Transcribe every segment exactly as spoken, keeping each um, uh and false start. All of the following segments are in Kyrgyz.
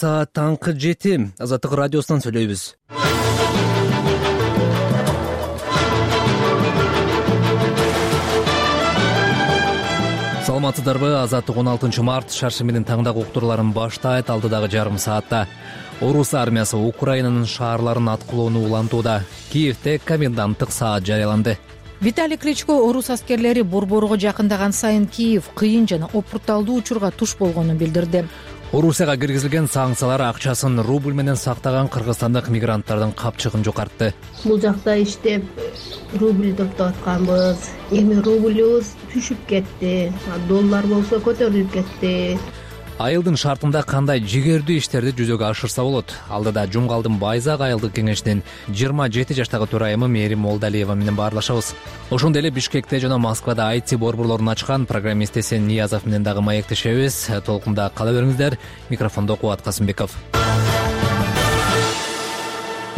Саат таңкы жети. Азаттык радиосунан сүйлөйбүз. Саламатсыздарбы? Азаттык он алтынчы март шаршы менен таңдагы уктурууларын баштайт. Алдыдагы жарым саатта орус армиясы Украинанын шаарларын аткылоону улантууда. Киевде коменданттык саат жарыяланды. Виталий Кличко орус аскерлери борборго жакындаган сайын Киев кыйын жана опурталдуу учурга туш болгонун билдирди. Орусияга киргизилген санкциялар акчасын рубль менен сактаган кыргызстандык мигранттардын капчыгын жокартты. Бул жакта иштеп рубль топтоп атканбыз. Эми рубльбыз түшүп кетти. Доллар болсо көтөрүлүп кетти. Айылдын шартында кандай жигердүү иштерди жүзөгө ашырса болот? Алдыда Жумгалдын Байзак айылдык кеңешинин жыйырма жети жаштагы төрайымы Мээрим Молдалиева менен баарлашабыз. Ошондой эле Бишкекте жана Москвада ай ти борборлорун ачкан программист Эсен Ниязов менен дагы маектешебиз. Толкунда кала бериңиздер. Микрофондо Кубат Касымбеков.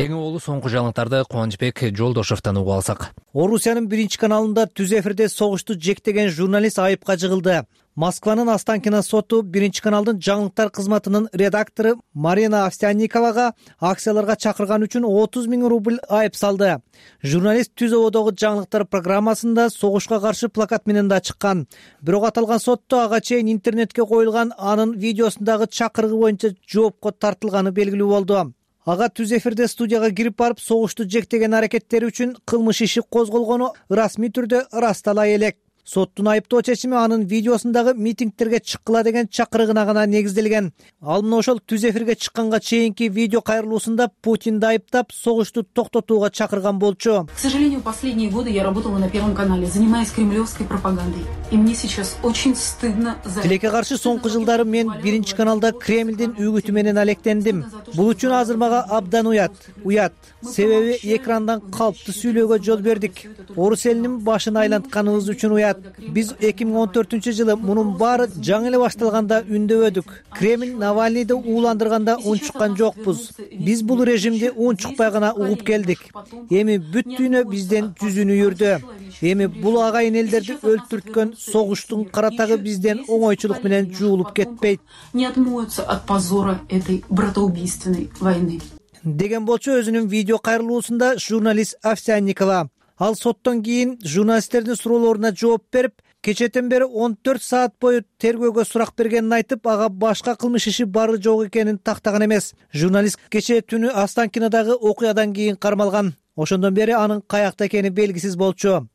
Эң олуу соңку жаңылыктарды Кубанычбек Жолдошовдон угуп алсак. Орусиянын биринчи каналында түз эфирде согушту жектеген журналист айыпка жыгылды. Москванын Останкино соту биринчи каналдын жаңылыктар кызматынын редактору Марина Овсянниковага акцияларга чакырган үчүн отуз миң рубль айып салды. Журналист түз ободогу жаңылыктар программасында согушка каршы плакат менен да чыккан. Бирок аталган сотто ага чейин интернетке коюлган анын видеосундагы чакырыгы боюнча жоопко тартылганы белгилүү болду. Ага түз эфирде студияга кирип барып согушту жектеген аракеттери үчүн кылмыш иши козголгону расмий түрдө ырастала элек. Соттун айыптоо чечими анын видеосундагы митингтерге чыккыла деген чакырыгына гана негизделген. Ал мына ошол түз эфирге чыкканга чейинки видео кайрылуусунда Путинди айыптап согушту токтотууга чакырган болчу. К сожалению, последние годы я работала на Первом канале, занимаясь кремлевской пропагандой. И мне сейчас очень стыдно за... Тилекке каршы соңку жылдары мен биринчи каналда Кремлдин үгүтү менен алектендим. Бул үчүн азыр мага абдан уят. Уят. Себеби экрандан калыптуу сүйлөөгө жол бердик. Орус элинин башын айлантканыбыз үчүн уят. Биз эки миң он төртүнчү жылы мунун баары жаңы эле башталганда үндөбөдүк. Кремль Навальныйды ууландырганда унчуккан жокпуз. Биз бул режимди унчукпай гана угуп келдик. Эми бүт дүйнө бизден жүзүн үйүрдү. Эми бул агайын элдерди өлтүрткөн согуштун каратагы бизден оңойчулук менен жуулуп кетпейт. Не отмоются от позора этой братоубийственной войны. Деген болчу өзүнүн видео кайрылуусунда журналист Овсянникова. Ал соттон кийин журналисттердин суроолоруна жооп берип, кечэтен бери он төрт саат бою тергөөгө сурак бергенин айтып, ага башка кылмыш иши бары жок экенин тактаган эмес. Журналист кечээ түнү Останкинодагы окуядан кийин кармалган. Ошондон бери анын каякта экени белгисиз болчу.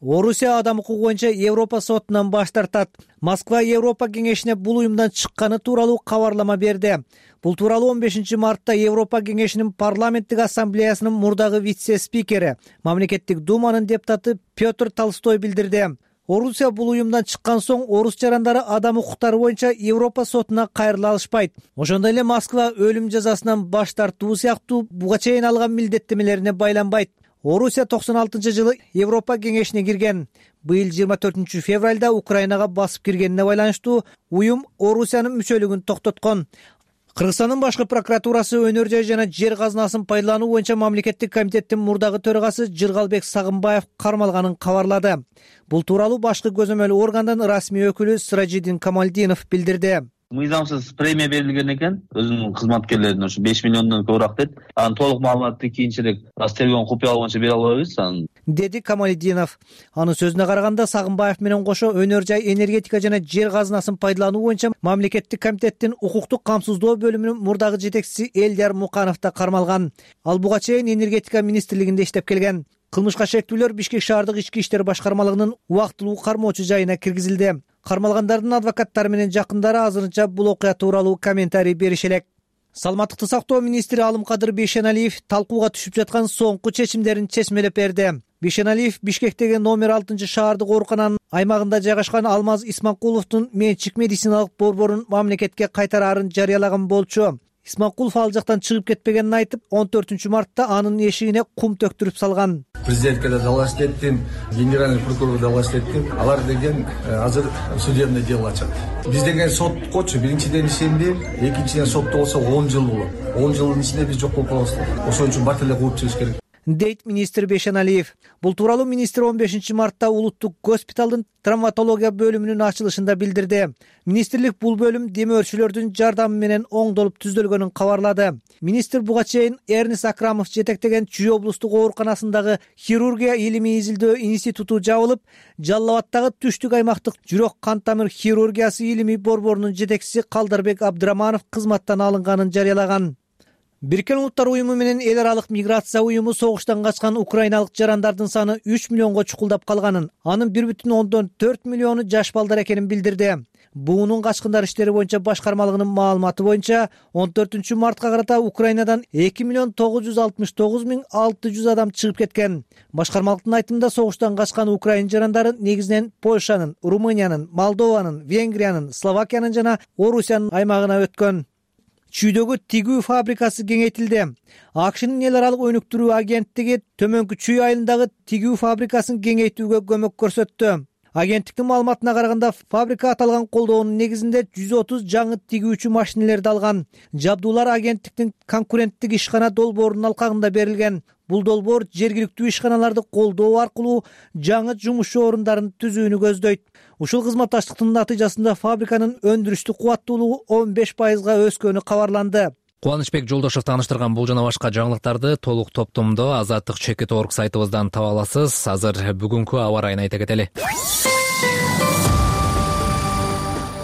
Орусия адам укугу боюнча Европа сотунан баш тартат. Москва Европа кеңешине бул уюмдан чыкканы тууралуу кабарлама берди. Бул тууралуу он бешинчи мартта Европа кеңешинин парламенттик ассамблеясынын мурдагы вице-спикери, мамлекеттик думанын депутаты Петр Толстой билдирди. Орусия бул уюмдан чыккан соң орус жарандары адам укуктары боюнча Европа сотуна кайрыла алышпайт. Ошондой эле Москва өлүм жазасынан баш тартуу сыяктуу буга чейин алган милдеттемелерине байланбайт. Орусия токсон алтынчы жылы Европа кеңешине кирген. Быйыл жыйырма төртүнчү февралда Украинага басып киргенине байланыштуу уюм Орусиянын мүчөлүгүн токтоткон. Кыргызстандын башкы прокуратурасы өнөр жай жана жер казынасын пайдалануу боюнча мамлекеттик комитеттин мурдагы төрагасы Жыргалбек Сагынбаев кармалганын кабарлады. Бул тууралуу башкы көзөмөл органдын расмий өкүлү Сыражидин Камалдинов билдирди. Мыйзамсыз премия берилген экен өзүнүн кызматкерлерине, ушу беш миллиондон көбүрөөк дейт. Анын толук маалыматты кийинчерээк тергөөнүн купуялыгы боюнча бере албайбыз, деди Камалдинов. Анын сөзүнө караганда Сагынбаев менен кошо өнөр жай, энергетика жана жер казынасын пайдалануу боюнча мамлекеттик комитеттин укуктук камсыздоо бөлүмүнүн мурдагы жетекчиси Элдияр Муканов да кармалган. Ал буга чейин энергетика министрлигинде иштеп келген. Кылмышка шектүүлөр Бишкек шаардык ички иштер башкармалыгынын убактылуу кармоочу жайына киргизилди. Кармалгандардын адвокаттары менен жакындары азырынча бул окуя тууралуу комментарий берише элек. Саламаттыкты сактоо министри Алымкадыр Бейшеналиев талкууга түшүп жаткан соңку чечимдерин чечмелеп берди. Бейшеналиев Бишкектеги номер алтынчы шаардык оорукананын аймагында жайгашкан Алмаз Исманкуловдун менчик медициналык борборун мамлекетке кайтараарын жарыялаган болчу. Исманкулов ал жактан чыгып кетпегенин айтып, он төртүнчү мартта анын эшигине кум төктүрүп салган. Президентке да далаш еттим, генеральный прокурор далаш еттим. Алар деген азыр судебное дело ачат. Биз деген соткочу биринчиден ишенди, экинчиден сотто болсо он жыл болот. он жылдын ичинде биз жок болуп калабыз. Ошон үчүн бат эле кууп чыгыш керек. дейт министр Бейшеналиев. Бул тууралуу министр он бешинчи мартта улуттук госпиталдын травматология бөлүмүнүн ачылышында билдирди. Министрлик бул бөлүм демөөрчүлөрдүн жардамы менен оңдолуп түзөлгөнүн кабарлады. Министр буга чейин Эрнис Акрамов жетектеген Чүй облустук ооруканасындагы хирургия илимий изилдөө институту жабылып, Жалал Абадтагы түштүк аймактык жүрөк кан тамыр хирургиясы илимий борборунун жетекчиси Калдарбек Абдыраманов кызматтан алынганын жарыялаган. Бириккен Улуттар уюму менен эл аралык миграция уюму согуштан качкан украиналык жарандардын саны үч миллионго чукулдап калганын, анын бир бүтүн ондон төрт миллиону жаш балдар экенин билдирди. Буунун качкындар иштери боюнча башкармалыгынын маалыматы боюнча он төртүнчү мартка карата Украинадан эки миллион тогуз жүз алтымыш тогуз миң алты жүз адам чыгып кеткен. Башкармалыктын айтымында согуштан качкан украин жарандары негизинен Польшанын, Румыниянын, Молдованын, Венгриянын, Словакиянын жана Орусиянын аймагына өткөн. Чүйдөгү тигүү фабрикасы кеңейтилди. АКШнын эл аралык өнүктүрүү агенттиги Төмөнкү Чүй айылындагы тигүү фабрикасын кеңейтүүгө көмөк көрсөттү. Агенттиктин маалыматына караганда, фабрика аталган колдоонун негизинде жүз отуз жаңы тигүүчү машинелерди алган. Жабдуулар агенттиктин конкуренттик ишкана долбоорунун алкагында берилген. Бул долбоор жергиликтүү ишканаларды колдоо аркылуу жаңы жумушчу орундарын түзүүнү көздөйт. Ушул кызматташтыктын натыйжасында фабриканын өндүрүштүк кубаттуулугу он беш пайызга өскөнү кабарланды. Кубанычбек Жолдошев тааныштырган бул жана башка жаңылыктарды толук топтомдо Азаттык чекит орг сайтыбыздан таба аласыз. Азыр бүгүнкү аба ырайын айта кетели.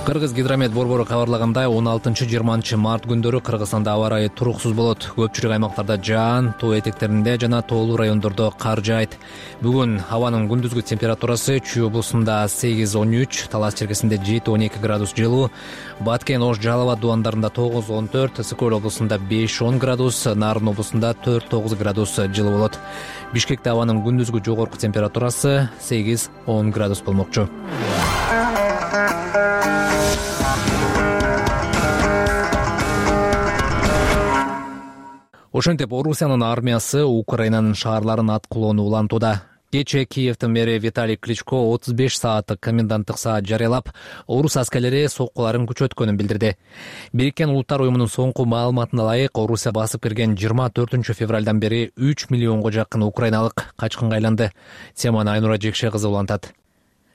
Кыргыз гидромет борбору кабарлагандай, он алтынчы жыйырманчы март күндөрү Кыргызстанда аба ырайы туруксуз болот. Көпчүлүк аймактарда жаан, тоо этектеринде жана тоолуу райондордо кар жаайт. Бүгүн абанын күндүзгү температурасы Чүй облусунда сегиз он үч, Талас черкесинде жети он эки градус жылуу, Баткен, Ош, Жалал Абад дубандарында тогуз он төрт, Ысык-Көл облусунда беш он градус, Нарын облусунда төрт тогуз градус жылуу болот. Бишкекте абанын күндүзгү жогорку температурасы сегиз он градус болмокчу. Ошентип Орусиянын армиясы Украинанын шаарларын аткылоону улантууда. Кечээ Киевдин мэри Виталий Кличко отуз беш сааттык коменданттык саат жарыялап, орус аскерлери соккуларын күчөткөнүн билдирди. Бириккен Улуттар уюмунун соңку маалыматына ылайык, Орусия басып кирген жыйырма төртүнчү февралдан бери үч миллионго жакын украиналык качкынга айланды. Теманы Айнура Жекше кызы улантат.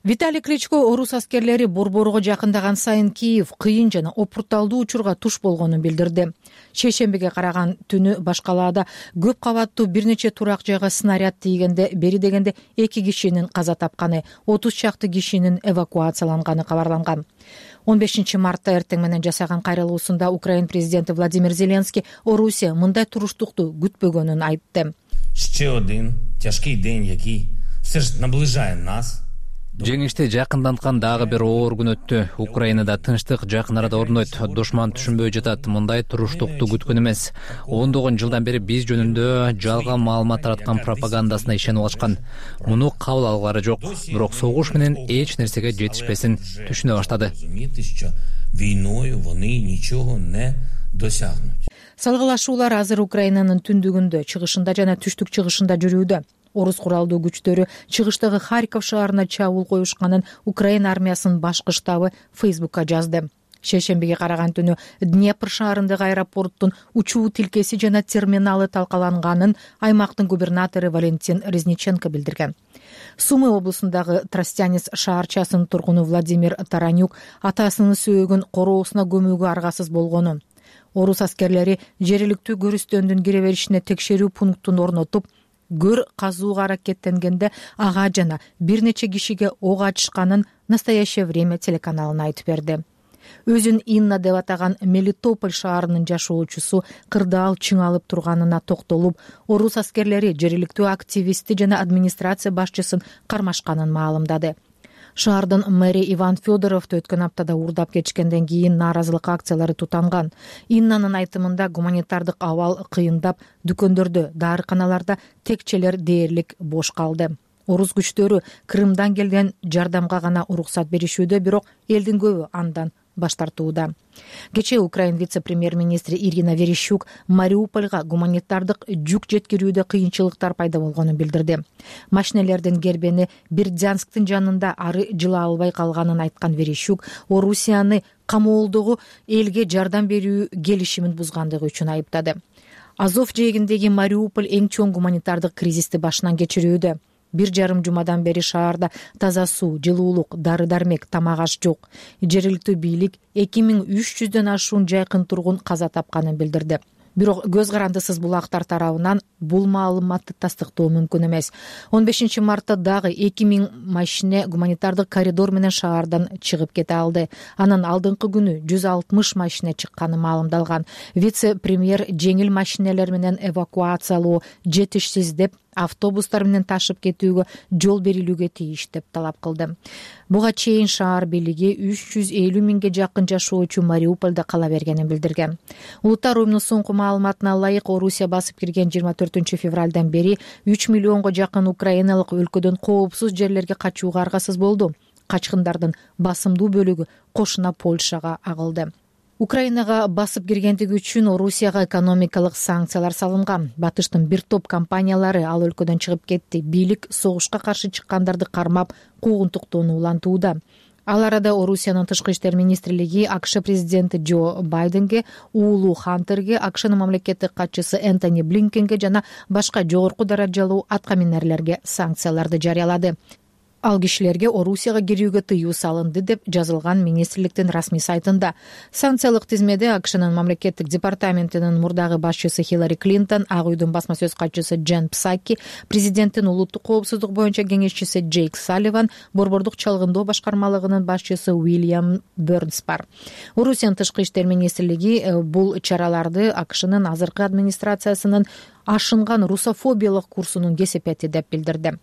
Виталий Кличко орус аскерлери борборго жакындаган сайын Киев кыйын жана опурталдуу учурга туш болгонун билдирди. Шейшембиге караган түнү башкалаада көп кабаттуу бир нече турак жайга снаряд тийгенде бери дегенде эки кишинин каза тапканы, отуз чакты кишинин эвакуацияланганы кабарланган. он бешинчи мартта эртең менен жасаган кайрылуусунда Украин президенти Владимир Зеленский Орусия мындай туруштукту күтпөгөнүн айтты. Ще один тяжкий день, який все ж наближає нас. Жеңишти жакынданткан дагы бир оор күн өттү. Украинада тынчтык жакын арада орнойт. Душман түшүнбөй жатат. Мындай туруштукту күткөн эмес. ондогон жылдан бери биз жөнүндө жалган маалымат тараткан пропагандасына ишенип алышкан. Муну кабыл алгылары жок. Бирок согуш менен эч нерсеге жетишпесин түшүнө баштады. Війною вони нічого не досягнуть. Салгылашуулар азыр Украинанын түндүгүндө, чыгышында жана түштүк чыгышында жүрүүдө. Орус куралдуу күчтөрү чыгыштагы Харьков шаарына чабуул коюшканын Украин армиясынын башкы штабы Фейсбукка жазды. Шейшембиге караган түнү Днепр шаарындагы аэропорттун учуу тилкеси жана терминалы талкаланганын аймактын губернатору Валентин Резниченко билдирген. Сумы облусундагы Тростянец шаарчасынын тургуну Владимир Таранюк атасынын сөөгүн короосуна көмүүгө аргасыз болгонун, орус аскерлери жергиликтүү көрүстөндүн кире беришине текшерүү пунктун орнотуп, гөр казууга аракеттенгенде ага жана бир нече кишиге ок ачышканын «Настоящее время» телеканалына айтып берди. Өзүн Инна деп атаган Мелитополь шаарынын жашоочусу кырдаал чыңалып турганына токтолуп, орус аскерлери жергиликтүү активисти жана администрация башчысын кармашканын маалымдады. Шаардын мэри Иван Федоровду өткөн аптада уурдап кетишкенден кийин нааразылык акциялары тутанган. Иннанын айтымында гуманитардык абал кыйындап, дүкөндөрдө, дарыканаларда текчелер дээрлик бош калды. Орус күчтөрү Крымдан келген жардамга гана уруксат беришүүдө, бирок элдин көбү андан баш тартууда. Кечээ Украин вице-премьер-министри Ирина Верещук Мариупольга гуманитардык жүк жеткирүүдө кыйынчылыктар пайда болгонун билдирди. Машинелердин кербени Бердянсктын жанында ары жыла албай калганын айткан Верещук Орусияны камоолдогу элге жардам берүү келишимин бузгандыгы үчүн айыптады. Азов жээгиндеги Мариуполь эң чоң гуманитардык кризисти башынан кечирүүдө. Бир жарым жумадан бери шаарда таза суу, жылуулук, дары-дармек, тамак-аш жок. Жергиликтүү бийлик эки миң үч жүздөн ашуун жайкын тургун каза тапканын билдирди. Бирок көз карандысыз булактар тарабынан бул маалыматты тастыктоо мүмкүн эмес. он бешинчи мартта дагы эки миң машине гуманитардык коридор менен шаардан чыгып кете алды. Анан алдыңкы күнү жүз алтымыш машине чыкканы маалымдалган. Вице-премьер жеңил машинелер менен эвакуациялоо жетишсиз деп, автобустар менен ташып кетүүгө жол берилүүгө тийиш деп талап кылды. Буга чейин шаар бийлиги үч жүз элүү миңге жакын жашоочу Мариупольдо кала бергенин билдирген. Улуттар уюмунун соңку маалыматына ылайык, Орусия басып кирген жыйырма төртүнчү февралдан бери үч миллионго жакын украиналык өлкөдөн коопсуз жерлерге качууга аргасыз болду. Качкындардын басымдуу бөлүгү кошуна Польшага агылды. Украинага басып киргендиги үчүн Орусияга экономикалык санкциялар салынган. Батыштын бир топ компаниялары ал өлкөдөн чыгып кетти. Бийлик согушка каршы чыккандарды кармап, куугунтуктоону улантууда. Ал арада Орусиянын тышкы иштер министрлиги АКШ президенти Джо Байденге, уулу Хантерге, АКШнын мамлекеттик катчысы Энтони Блинкенге жана башка жогорку даражалуу аткаминерлерге санкцияларды жарыялады. Ал кишилерге Орусияга кирүүгө тыюу салынды деп жазылган министрликтин расмий сайтында. Санкциялык тизмеде АКШнын мамлекеттик департаментинин мурдагы башчысы Хиллари Клинтон, Ак үйдүн басма сөз катчысы Джен Псаки, президенттин улуттук коопсуздук боюнча кеңешчиси Джейк Салливан, борбордук чалгындоо башкармалыгынын башчысы Уильям Бернс бар. Орусиянын тышкы иштер министрлиги бул чараларды АКШнын азыркы администрациясынын ашынган русофобиялык курсунун кесепети деп билдирди.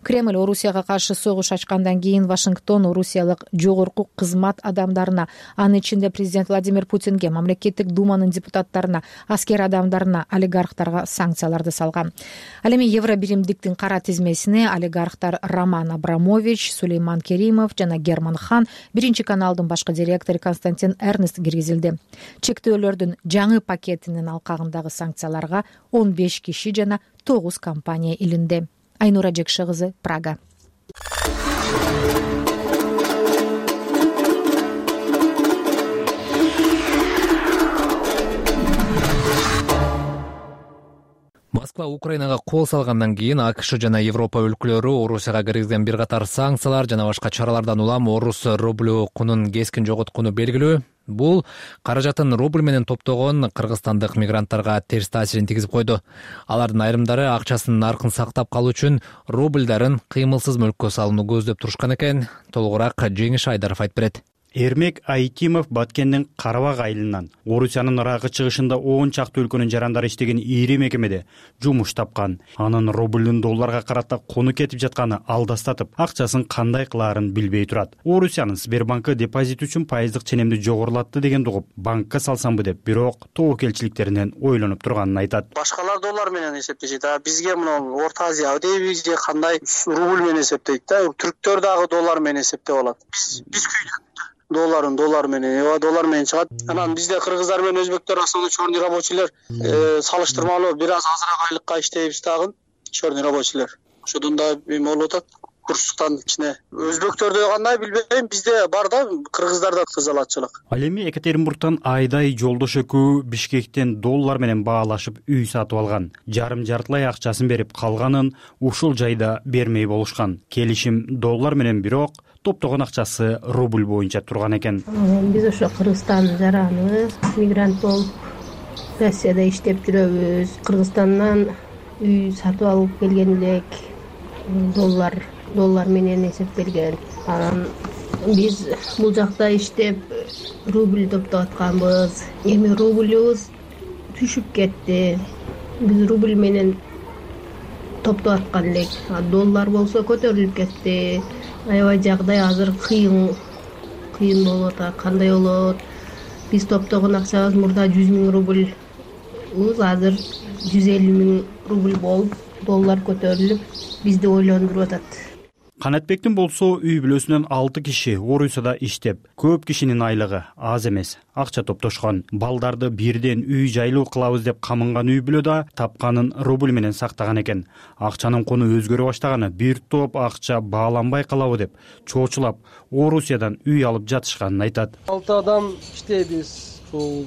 Кремль Орусияга каршы согуш ачкандан кийин Вашингтон орусиялык жогорку кызмат адамдарына, анын ичинде президент Владимир Путинге, мамлекеттик думанын депутаттарына, аскер адамдарына, олигархтарга санкцияларды салган. Ал эми Евробиримдиктин кара тизмесине олигархтар Роман Абрамович, Сулейман Керимов жана Герман Хан, биринчи каналдын башкы директору Константин Эрнест киргизилди. Чектөөлөрдүн жаңы пакетинин алкагындагы санкцияларга он беш киши жана тогуз компания илинди. Айнура Жекше кызы, Прага. Москва Украинага кол салгандан кийин АКШ жана Европа өлкөлөрү Орусияга киргизген бир катар санкциялар жана башка чаралардан улам орус рублю кунун кескин жоготкону белгилүү. Бул каражатын рубль менен топтогон кыргызстандык мигранттарга терс таасирин тийгизип койду. Алардын айрымдары акчасынын наркын сактап калуу үчүн рубльдарын кыймылсыз мөлккө салууну көздөп турушкан экен. Толугураак Жеңиш Айдаров айтып берет. Эрмек Айтимов Баткендин Карабак айылынан Орусиянын ыракы чыгышында он чакты өлкөнүн жарандары иштеген ири мекемеде жумуш тапкан. Анын рубльдун долларга карата кону кетип жатканы алдастатып, акчасын кандай кылаарын билбей турат. Орусиянын Сбербанкы депозит үчүн пайыздык ченемди жогорулатты дегенди угуп, банкка салсамбы деп, бирок тобокелчиликтеринен ойлонуп турганын айтат. Башкалар доллар менен эсептешет, а бизге мына Орто Азия дейби же кандай рубль менен эсептейт да. Түрктөр дагы доллар менен эсептеп алат. Биз биз күйдүк. Долларын доллар менен, эва доллар менен чыгат. Анан бизде кыргыздар менен өзбектер основной черный рабочийлер салыштырмалуу бир аз азыраак айлыкка иштейбиз дагы черный рабочийлер. Ошодон да эме болуп атат. Курстан ичине. Өзбектөрдө кандай билбейм, бизде бар да, кыргыздарда кызалатчылык. Ал эми Екатеринбургтан Айдай жолдош экөө Бишкектен доллар менен баалашып үй сатып алган. Жарым жартылай акчасын берип, калганын ушул жайда бермей болушкан. Келишим доллар менен, бирок топтогон акчасы рубль боюнча турган экен. Биз ошо Кыргызстан жараныбыз, мигрант болуп Россияда иштеп жүрөбүз. Кыргызстандан үй сатып алып келген элек. Доллар доллар менен эсептелген. Анан биз бул жакта иштеп рубль топтоп атканбыз. Эми рубльбуз түшүп кетти. Биз рубль менен топтоп аткан элек. Доллар болсо көтөрүлүп кетти. Аябай жагдай азыр кыйын кыйын болуп атат. Кандай болот? Биз топтогон акчабыз мурда жүз миң рубль, азыр жүз элүү миң рубль болуп, доллар көтөрүлүп, бизди ойлондуруп атат. Канатбектин болсо үй бүлөсүнөн алты киши Орусияда иштеп, көп кишинин айлыгы аз эмес, акча топтошкон. Балдарды бирден үй жайлуу кылабыз деп камынган үй бүлө да тапканын рубль менен сактаган экен. Акчанын кону өзгөрө баштаганы, бир топ акча бааланбай калабы деп чоочулап Орусиядан үй алып жатышканын айтат. Алты адам иштейбиз, ушул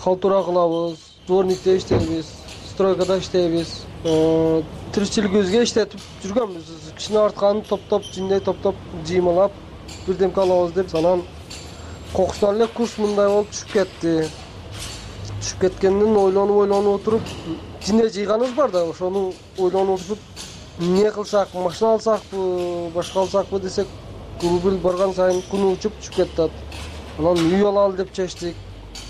калтура кылабыз, дворникте иштейбиз. стройкада иштейбиз. Тиричилигибизге иштетип жүргөнбүз. Кичине артканын топтоп, жиндей топтоп жыймалап бирдемке алабыз деп анан кокустан эле курс мындай болуп түшүп кетти. Түшүп кеткенден ойлонуп ойлонуп отуруп жине жыйганыбыз бар да, ошону ойлонуп отуруп эмне кылсак, машина алсакпы, башка алсакпы десек, рубль барган сайын куну учуп түшүп кетет. Анан үй алалы деп чечтик.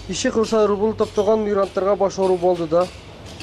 Иши кылса рубль топтогон мигранттарга баш оору болду да.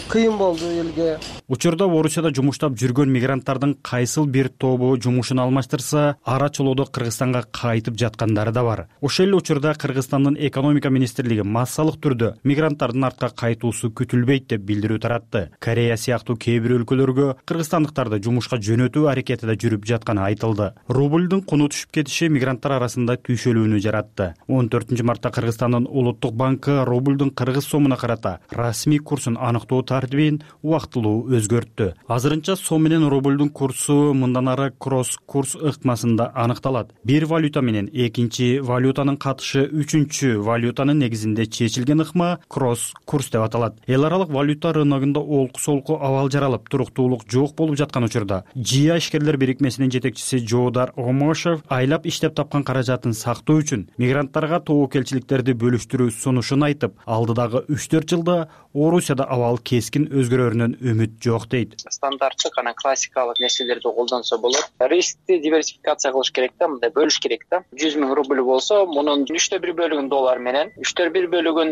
Кыйын болду элге. Учурда Орусияда жумуштап жүргөн мигранттардын кайсыл бир тобу жумушун алмаштырса, ара чолоодо Кыргызстанга кайтып жаткандары да бар. Ошол эле учурда Кыргызстандын экономика министрлиги массалык түрдө мигранттардын артка кайтуусу күтүлбөйт деп билдирүү таратты. Корея сыяктуу кээ бир өлкөлөргө кыргызстандыктарды жумушка жөнөтүү аракетиде жүрүп жатканы айтылды. Рубльдун куну түшүп кетиши мигранттар арасында түйшөлүүнү жаратты. он төртүнчү мартта Кыргызстандын улуттук банкы рубльдун кыргыз сомуна карата расмий курсун аныктоо тартибин убактылуу өзгөрттү. Азырынча сом менен рубльдун курсу мындан ары кросс-курс ыкмасында аныкталат. Бир валюта менен экинчи валютанын катышы үчүнчү валютанын негизинде чечилген ыкма кросс-курс деп аталат. Эл аралык валюта рыногунда олку-солку абал жаралып, туруктуулук жок болуп жаткан учурда Жия ишкерлер бирикмесинин жетекчиси Жоодар Омошев айлап иштеп тапкан каражатын сактоо үчүн мигранттарга тобокелчиликтерди бөлүштүрүү сунушун айтып, алдыдагы үч төрт жылда Орусияда абал кескин өзгөрөрүнөн үмүт жок дейт. Стандарттык анан классикалык нерселерди колдонсо болот. Рискти диверсификация кылыш керек да, мындай бөлүш керек да. жүз миң рубль болсо, мунун үчтө бир бөлүгүн доллар менен, үчтө бир бөлүгүн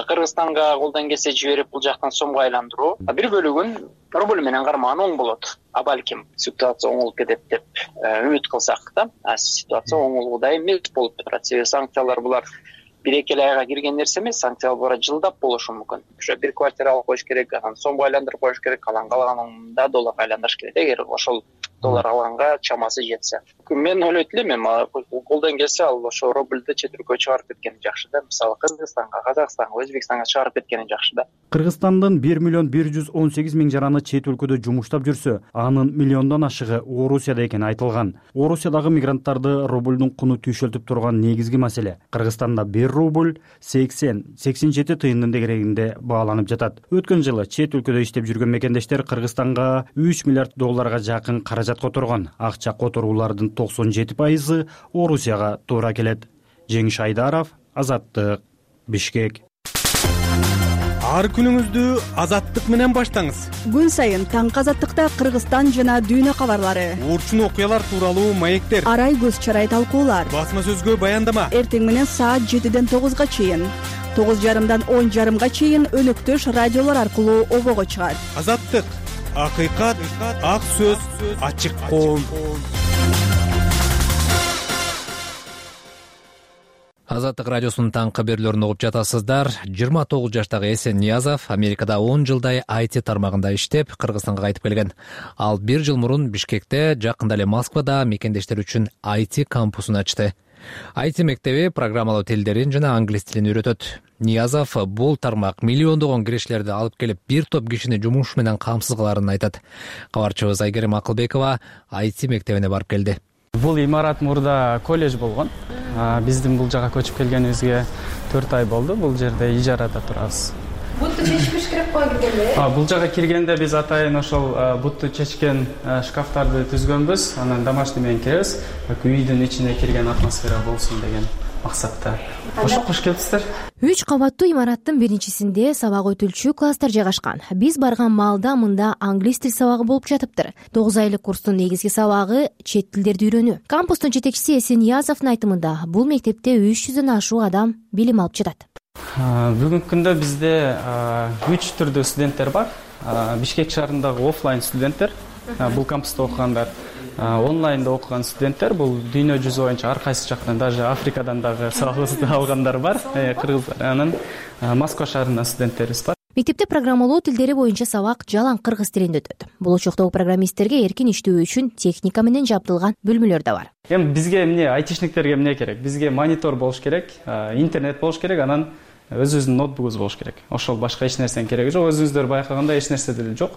Кыргызстанга колдон келсе жиберип бул жактан сомго айландыруу, а бир бөлүгүн рубль менен кармаган оң болот. А балким ситуация оңолуп кетет деп үмүт кылсак да, ситуация оңолгудай эмес болуп турат. Себеби санкциялар булар бир-эки айга кирген нерсе эмес, санкциялар бара жылдап болушу мүмкүн. Ошо бир квартира алып коюш керек, анан сомго айландырып коюш керек, калан калганында долларга айландырыш керек. Эгер ошол доллар алганга чамасы жетсе. Мен ойлойт элем, колдон келсе ал ошо рубльди чет өлкөгө чыгарып кеткени жакшы да. Мисалы Кыргызстанга, Казакстанга, Өзбекстанга чыгарып кеткени жакшы да. Кыргызстандын бир миллион бир жүз он сегиз миң жараны чет өлкөдө жумуштап жүрсө, анын миллиондон ашыгы Орусияда экени айтылган. Орусиядагы мигранттарды рубльдун куну түйшөлтүп турган негизги маселе Кыргызстанда бир рубль сексен сексен жети тыйындын дегерегинде бааланып жатат. Өткөн жылы чет өлкөдө иштеп жүргөн мекендештер Кыргызстанга үч миллиард долларга жакын каражат которгон. Акча которуулардын токсон жети пайызы Орусияга туура келет. Жеңиш Айдаров, Азаттык, Бишкек. Ар күнүңүздү Азаттык менен баштаңыз. Күн сайын таңкы Азаттыкта Кыргызстан жана дүйнө кабарлары, урчун окуялар тууралуу маектер, арай көз чарай талкуулар, басма сөзгө баяндама. Эртең менен саат жетиден тогузга чейин, тогуз жарымдан он жарымга чейин өнөктөш радиолор аркылуу обого чыгат. Азаттык, акыйкат, ак сөз, ачык коом. Азаттык радиосунун таңкы берүүлөрүн угуп жатасыздар. жыйырма тогуз жаштагы Эсен Ниязов Америкада он жылдай ай ти тармагында иштеп, Кыргызстанга кайтып келген. Ал бир жыл мурун Бишкекте, жакында эле Москвада мекендештер үчүн ай ти кампусун ачты. ай ти мектеби программалоо тилдерин жана англис тилин үйрөтөт. Ниязов бул тармак миллиондогон кириштерди алып келип, бир топ кишини жумуш менен камсыз кыларын айтат. Кабарчыбыз Айгерим Акылбекова ай ти мектебине барып келди. Бул имарат мурда колледж болгон. Биздин бул жака көчүп келгенибизге төрт ай болду. Бул жерде ижарада турабыз. Бутту чечпеш керек го киргенде? Бул жака киргенде биз атайын ошол бутту чечкен шкафтарды түзгөнбүз. Анан домашний менен киребиз. Үйдүн ичине кирген атмосфера болсун деген максатта. Ошо кош келипсиздер. Үч кабаттуу имараттын биринчисинде сабак өтүлчү класстар жайгашкан. Биз барган маалда мында англис тил сабагы болуп жатыптыр. тогуз айлык курстун негизги сабагы чет тилдерди үйрөнүү. Кампустун жетекчиси Эсен Ниязовдун айтымында, бул мектепте үч жүздөн ашуун адам билим алып жатат. Бүгүнкү күндө бизде үч түрдүү студенттер бар. Бишкек шаарындагы офлайн студенттер, бул кампуста окугандар. Онлайнда окуган студенттер, бул дүйнө жүзү боюнча ар кайсы жактан, даже Африкадан дагы сабагыбызды алгандар бар, кыргыздар. Анан Москва шаарынын студенттерибиз бар. Мектепте программалоо тилдери боюнча сабак жалаң кыргыз тилинде өтөт. Болочоктогу программисттерге эркин иштөө үчүн техника менен жабдылган бөлмөлөр да бар. Эми бизге эмне айтишниктерге эмне керек? Бизге монитор болуш керек, интернет болуш керек, анан өзүбүздүн ноутбугубуз болуш керек. Ошол башка эч нерсенин кереги жок. Өзүңүздөр байкагандай эч нерсе деле жок.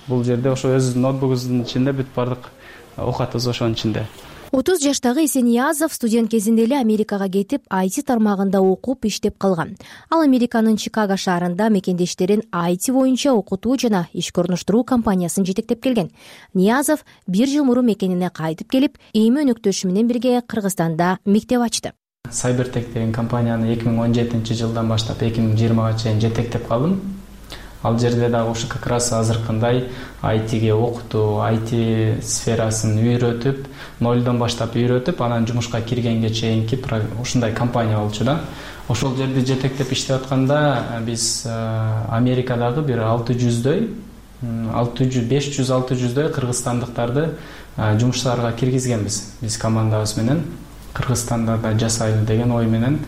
Бул жерде ошо өзүбүздүн ноутбугубуздун ичинде бүт бардык оокатыбыз ошонун ичинде. отуз жаштагы Эсениязов студент кезинде эле Америкага кетип, ай ти тармагында окуп иштеп калган. Ал Американын Чикаго шаарында мекендештерин ай ти боюнча окутуу жана ишке орноштуруу компаниясын жетектеп келген. Ниязов бир жыл мурун мекенине кайтып келип, эми өнөктөшү менен бирге Кыргызстанда мектеп ачты. Cybertech деген компанияны эки миң он жетинчи жылдан баштап эки миң жыйырмага чейин жетектеп калдым. Ал жерде дагы ушу как раз азыркындай ай тиге окутуу, ай ти сферасын үйрөтүп, нолдон баштап үйрөтүп, анан жумушка киргенге чейинки ушундай компания болчу да. Ошол жерде жетектеп иштеп атканда биз Америкадагы бир алты жүздөй, беш жүз алты жүздөй кыргызстандыктарды жумушчуларга киргизгенбиз. Биз командабыз менен Кыргызстанда да жасайлы деген ой менен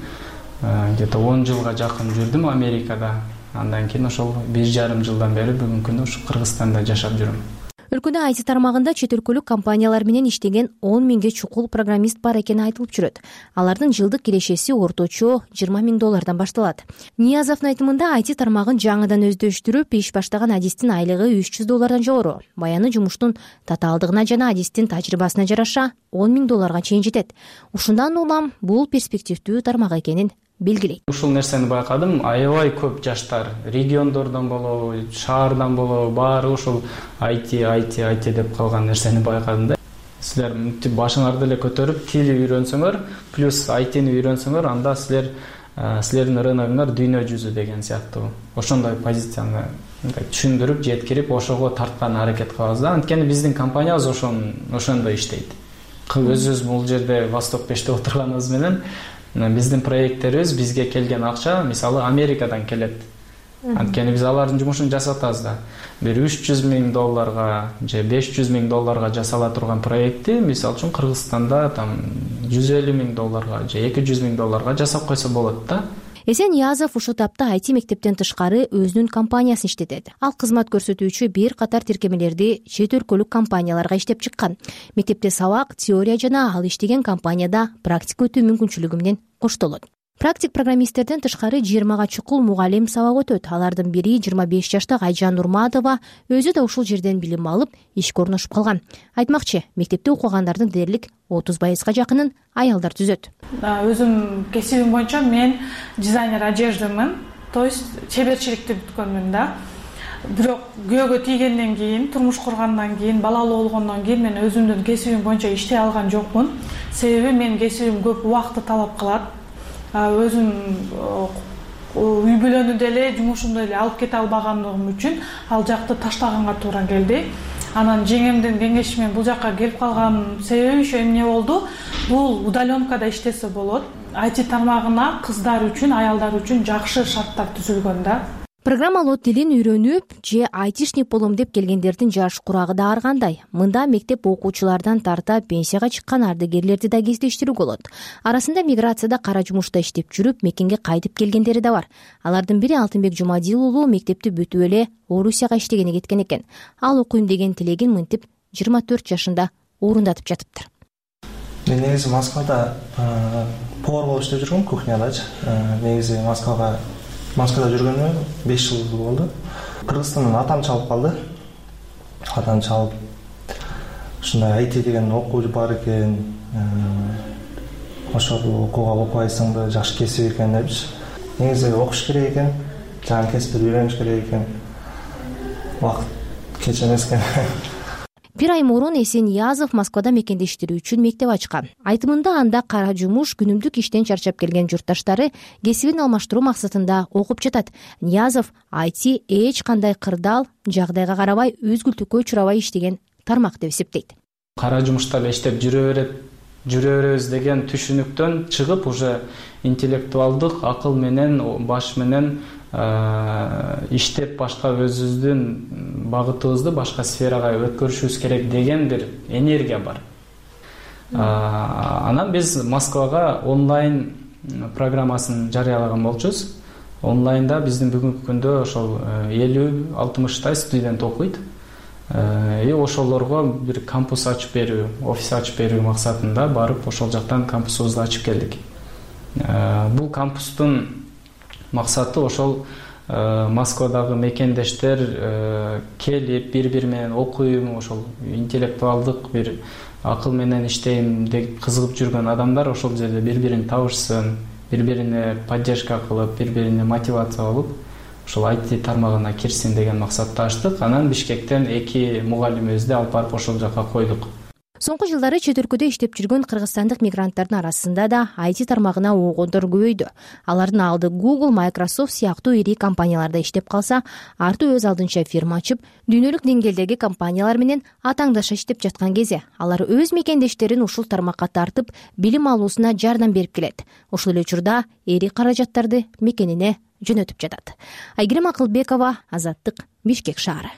где-то он жылга жакын жүрдүм Америкада. Андан кийин ошол бир жарым жылдан бери бүгүнкү күндө ушу Кыргызстанда жашап жүрөм. Өлкөдө ай ти тармагында чет өлкөлүк компаниялар менен иштеген он миңге чукул программист бар экени айтылып жүрөт. Алардын жылдык кирешеси орточо жыйырма миң доллардан башталат. Ниязовдун айтымында ай ти тармагын жаңыдан өздөштүрүп, иш баштаган адистин айлыгы үч жүз доллардан жогору. Баяны жумуштун татаалдыгына жана адистин тажрыйбасына жараша он миң долларга чейин жетет. Ушундан улам бул перспективдүү тармак экенин белгилейт. Ушул нерсени байкадым, аябай көп жаштар региондордон болобу, шаардан болобу, баары ушул ай ти, ай ти, ай ти деп калган нерсени байкадым да. Силер мынтип башыңарды эле көтөрүп, тили үйрөнсөңөр, плюс ай тини үйрөнсөңөр, анда силер силердин рыногуңар дүйнө жүзү деген сыяктуу. Ошондой позицияны түшүндүрүп, жеткирип, ошого тарткан аракет кылабыз да. Анткени биздин компаниябыз ошон ошондой иштейт. Өзүбүз бул жерде Восток беште отурганыбыз менен биздин проекттерибиз, бизге келген акча мисалы Америкадан келет. Анткени биз алардын жумушун жасатабыз да. Бир үч жүз миң долларга же беш жүз миң долларга жасала турган проектти мисалы үчүн Кыргызстанда там жүз элүү миң долларга же эки жүз миң долларга жасап койсо болот да. Эсениязов ушул тапта ай ти мектептен тышкары өзүнүн компаниясын иштетет. Ал кызмат көрсөтүүчү бир катар тиркемелерди чет өлкөлүк компанияларга иштеп чыккан. Мектепте сабак, теория жана ал иштеген компанияда практика өтүү мүмкүнчүлүгү менен коштолот. Практик программисттерден тышкары жыйырмага чукул мугалим сабак өтөт. Алардын бири жыйырма беш жаштагы Айжан Нурматова, өзү да ушул жерден билим алып, ишке орношуп калган. Айтмакчы, мектепте окугандардын дээрлик отуз пайызга жакынын аялдар түзөт. Өзүм кесибим боюнча мен дизайнер одеждамын, то есть чеберчиликти бүткөнмүн да. Бирок күйөөгө тийгенден кийин, турмуш кургандан кийин, балалуу болгондон кийин мен өзүмдүн кесибим боюнча иштей алган жокмун. Себеби менин кесибим көп убакытты талап кылат. Өзүм үй бүлөнү деле, жумушумду эле алып кете албагандыгым үчүн ал жакты таштаганга туура келди. Анан жеңемдин кеңеши менен бул жакка келип калган себеби ошо эмне болду? Бул удаленкада иштесе болот. ай ти тармагына кыздар үчүн, аялдар үчүн жакшы шарттар түзүлгөн да. Программалоо тилин үйрөнүп же айтишник болом деп келгендердин жаш курагы да ар кандай. Мында мектеп окуучулардан тарта пенсияга чыккан ардыгерлерди да кездештирүүгө болот. Арасында миграцияда кара жумушта иштеп жүрүп, мекенге кайтып келгендери да бар. Алардын бири Алтынбек Жумадил уулу мектепти бүтүп эле Орусияга иштегени кеткен экен. Ал окуйм деген тилегин мынтип жыйырма төрт жашында орундатып жатыптыр. Мен негизи Москвада повар болуп иштеп жүргөм, кухнядачы. Негизи Москвага Москвада жүргөнүмө беш жыл болду. Кыргызстандан атам чалып калды. Атам чалып, ушундай ай ти деген окуу бар экен, ошол окууга окубайсың да, жакшы кесип экен депчи. Негизи окуш керек экен, жаңы кесипти үйрөнүш керек экен. Убакыт кеч эмес экен. Бир ай мурун Эсениязов Москвада мекендештери үчүн мектеп ачкан. Айтымында анда кара жумуш, күнүмдүк иштен чарчап келген журтташтары кесибин алмаштыруу максатында окуп жатат. Ниязов ай ти эч кандай кырдаал, жагдайга карабай, үзгүлтүккө учурабай иштеген тармак деп эсептейт. Кара жумушта эле иштеп жүрө берет, жүрө беребиз деген түшүнүктөн чыгып, уже интеллектуалдык акыл менен, баш менен иштеп башка өзүбүздүн багытыбызды башка сферага өткөрүшүбүз керек деген бир энергия бар. Анан биз Москвага онлайн программасын жарыялаган болчубуз. Онлайнда биздин бүгүнкү күндө ошол элүү алтымыштай студент окуйт. И ошолорго бир кампус ачып берүү, офис ачып берүү максатында барып ошол жактан кампусубузду ачып келдик. Бул кампустун максаты ошол Москвадагы мекендештер келип бири бири менен окуйм, ошол интеллектуалдык бир акыл менен иштейм деп кызыгып жүргөн адамдар ошол жерде бири бирин табышсын, бири бирине поддержка кылып, бири бирине мотивация болуп, ошол ай ти тармагына кирсин деген максатта ачтык. Анан Бишкектен эки мугалимибизди алып барып ошол жака койдук. Соңку жылдары чет өлкөдө иштеп жүргөн кыргызстандык мигранттардын арасында да ай ти тармагына оогондор көбөйдү. Алардын алды Google, Microsoft сыяктуу ири компанияларда иштеп калса, арты өз алдынча фирма ачып, дүйнөлүк деңгээлдеги компаниялар менен атаңдаша иштеп жаткан кезде алар өз мекендештерин ушул тармакка тартып, билим алуусуна жардам берип келет. Ошол эле учурда эри каражаттарды мекенине жөнөтүп жатат. Айгерим Акылбекова, Азаттык, Бишкек шаары.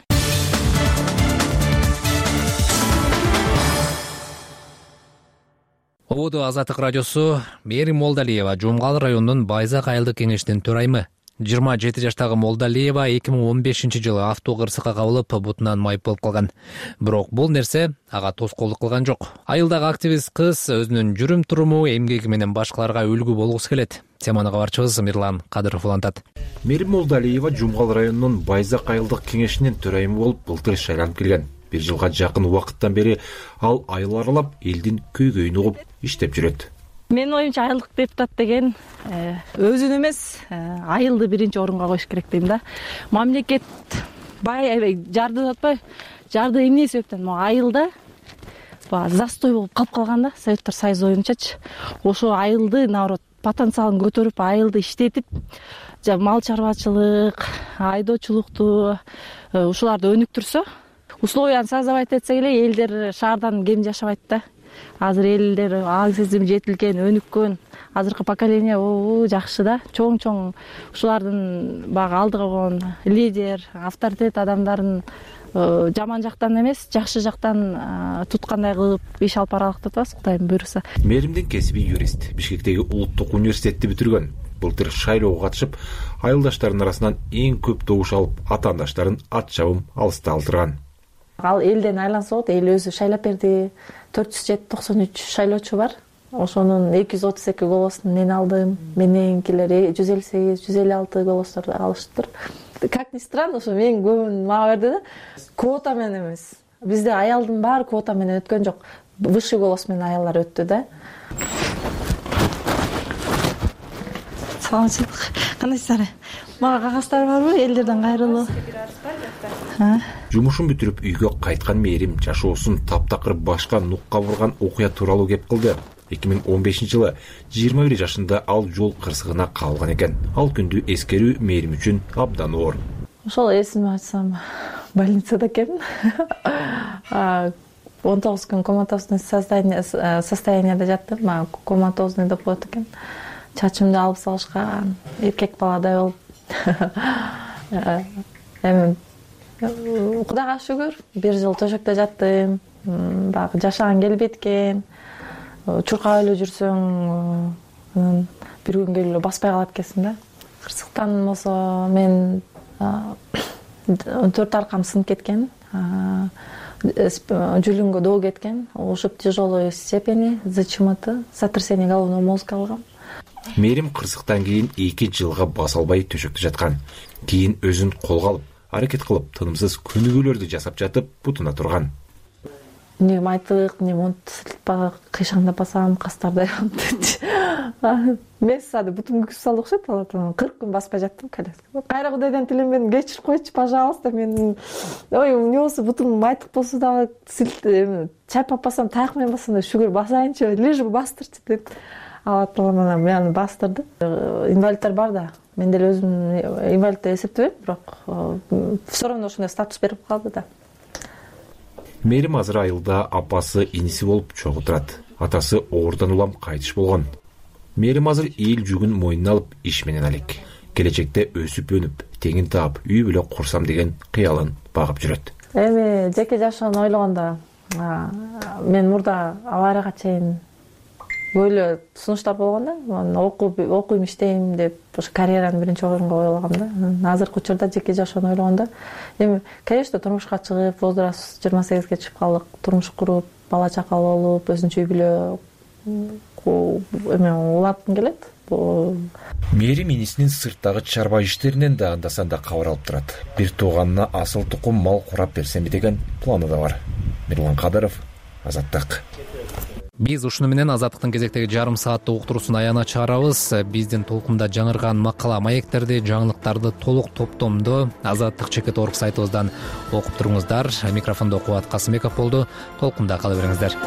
Ободу Азаттык радиосу. Мээрим Молдалиева Жумгал районунун Байзак айылдык кеңешинин төрайымы. жыйырма жети жаштагы Молдалиева эки миң он бешинчи жылы авто кырсыкка кабылып, бутунан майып болуп калган. Бирок бул нерсе ага тоскоолдук кылган жок. Айылдагы активист кыз өзүнүн жүрүм туруму, эмгеги менен башкаларга үлгү болгусу келет. Теманы кабарчыбыз Мирлан Кадыров улантат. Мээрим Молдалиева Жумгал районунун Байзак айылдык кеңешинин төрайымы болуп былтыр шайланып келген. Бир жылга жакын убакыттан бери ал айыл аралап, элдин көйгөйүн угуп иштеп жүрөт. Менин оюмча айылдык депутат деген өзүн эмес, айылды биринчи орунга коюш керек дейм да. Мамлекет бай аябай жарды деп атпайбы? Жарды эмне себептен? Могу айылда баягы застой болуп калып калган да, Советтер Союзу оюмчачы. Ошо айылды наоборот потенциалын көтөрүп, айылды иштетип, мал чарбачылык, айдоочулукту ушуларды өнүктүрсө, условияны создавать этсек эле элдер шаардан кем жашабайт да. Азыр элдер аң сезим жетилген, өнүккөн, азыркы поколение жакшы да. Чоң-чоң ушулардын баягы алдыга койгон лидер, авторитет адамдарын жаман жактан эмес, жакшы жактан туткандай кылып иш алып баралык деп атабыз, Кудайым буйруса. Мээримдин кесиби юрист, Бишкектеги улуттук университетти бүтүргөн. Былтыр шайлоого катышып, айылдаштарынын арасынан эң көп добуш алып, атаандаштарын ат чабым алыста алдырган. Ал элден айланса болот, эл өзү шайлап берди. төрт жүз жети токсон үч шайлоочу бар. Ошонун эки жүз отуз эки голосун мен алдым. Мененкилер жүз элүү сегиз, жүз элүү алты голосторду алыштыр. Как ни странно, ошо мен көбүн мага берди да. Квота менен эмес. Бизде аялдын баары квота менен өткөн жок. Высший голос менен аялдар өттү да. Саламатчылык. Кандайсыздар? Мага кагаздар барбы? Элдерден кайрылуу. Жумушун бүтүрүп үйгө кайткан Мээрим жашоосун таптакыр башка нукка бурган окуя тууралуу кеп кылды. эки миң он бешинчи жылы жыйырма бир жашында ал жол кырсыгына кабылган экен. Ал күндү эскерүү Мээрим үчүн абдан оор. Ошол эсиме айтсам, больницада экенмин. он тогуз күн коматозный состоянияда жаттым. Коматозный деп коет экен. Чачымды алып салышкан, эркек баладай болуп. Эми Кудайга шүгүр, бир жыл төшөктө жаттым. Баягы жашаган келбейт экен. Чуркап эле жүрсөң, бир күн келип эле баспай калат экенсиң да. Кырсыктан болсо мен төрт аркам сынып кеткен. Жүлүнгө доо кеткен. Ушуп тяжелой степени ЗЧМТ, сотрясение головного мозга алгам. Мээрим кырсыктан кийин эки жылга баса албай төшөктө жаткан. Кийин өзүн колго алып, аракет кылып, тынымсыз көнүгүүлөрдү жасап жатып, бутуна турган. Не майтык, не монт кыйшаңдап басам, кастардай болуп. Мен сады бутум күз салды окшойт, алатан кырк күн баспай жаттым кале. Кайра Кудайдан тилемедим, кечирип койчу, пожалуйста, мен ой, эмне болсо бутум майтык болсо дагы чайпап басам, таяк менен басам да шүгүр басайынчы, лишь бы бастырчы деп. Алатан мени бастырды. Инвалидтер бар да. Мен деле өзүм инвалид деп эсептебейм, бирок все равно ошондой статус берип калды да. Мээрим азыр айылда апасы иниси болуп чогуу турат. Атасы оордан улам кайтыш болгон. Мээрим азыр эл жүгүн мойнуна алып иш менен алек. Келечекте өсүп өнүп, теңин таап, үй бүлө курсам деген кыялын багып жүрөт. Эми жеке жашоону ойлогондо, мен мурда аварияга чейин böyle сунуштар болгон да. Окуп, окуйм, иштейм деп, ошо карьераны биринчи орунга койгом да. Азыркы учурда жеке жашоону ойлогондо, эми, конечно, турмушка чыгып, возраст жыйырма сегизге чыгып калдык, турмуш куруп, бала чакал болуп, өзүнчө үй бүлө эме улаткым келет. мээрим инисинин сырттагы чарба иштеринен да анда санда кабар алып турат. Бир тууганына асыл тукум мал курап берсемби деген планы да бар. Мирлан Кадыров, Азаттык. Биз ушуну менен Азаттыктын кезектеги жарым сааттык уктуруусун аягына чыгарабыз. Биздин толкунда жаңырган макала маектерди, жаңылыктарды толук топтомдо Азаттык чекит точка орг сайтыбыздан окуп туруңуздар. Микрофондо Кубат Касымбеков болду. Толкунда кала бериңиздер.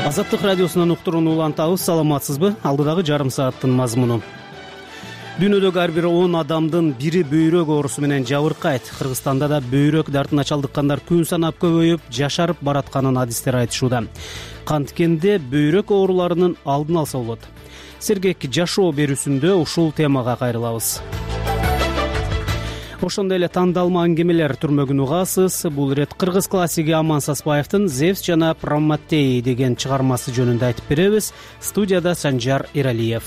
Азаттык радиосунан уктурууну улантабыз. Саламатсызбы? Алдыдагы жарым сааттын мазмуну. Дүйнөдөгү ар бир он адамдын бири бөйрөк оорусу менен жабыркайт. Кыргызстанда да бөйрөк дартына чалдыккандар күн санап көбөйүп, жашарып баратканын адистер айтышууда. Канткенде бөйрөк ооруларынын алдын алса болот. Сергек жашоо берүүсүндө ушул темага кайрылабыз. Ошондой эле тандалма аңгемелер түрмөгүн угасыз. Бул ирет кыргыз классиги Аман Саспаевдин Зевс жана Прометей деген чыгармасы жөнүндө айтып беребиз. Студияда Санжар Эралиев.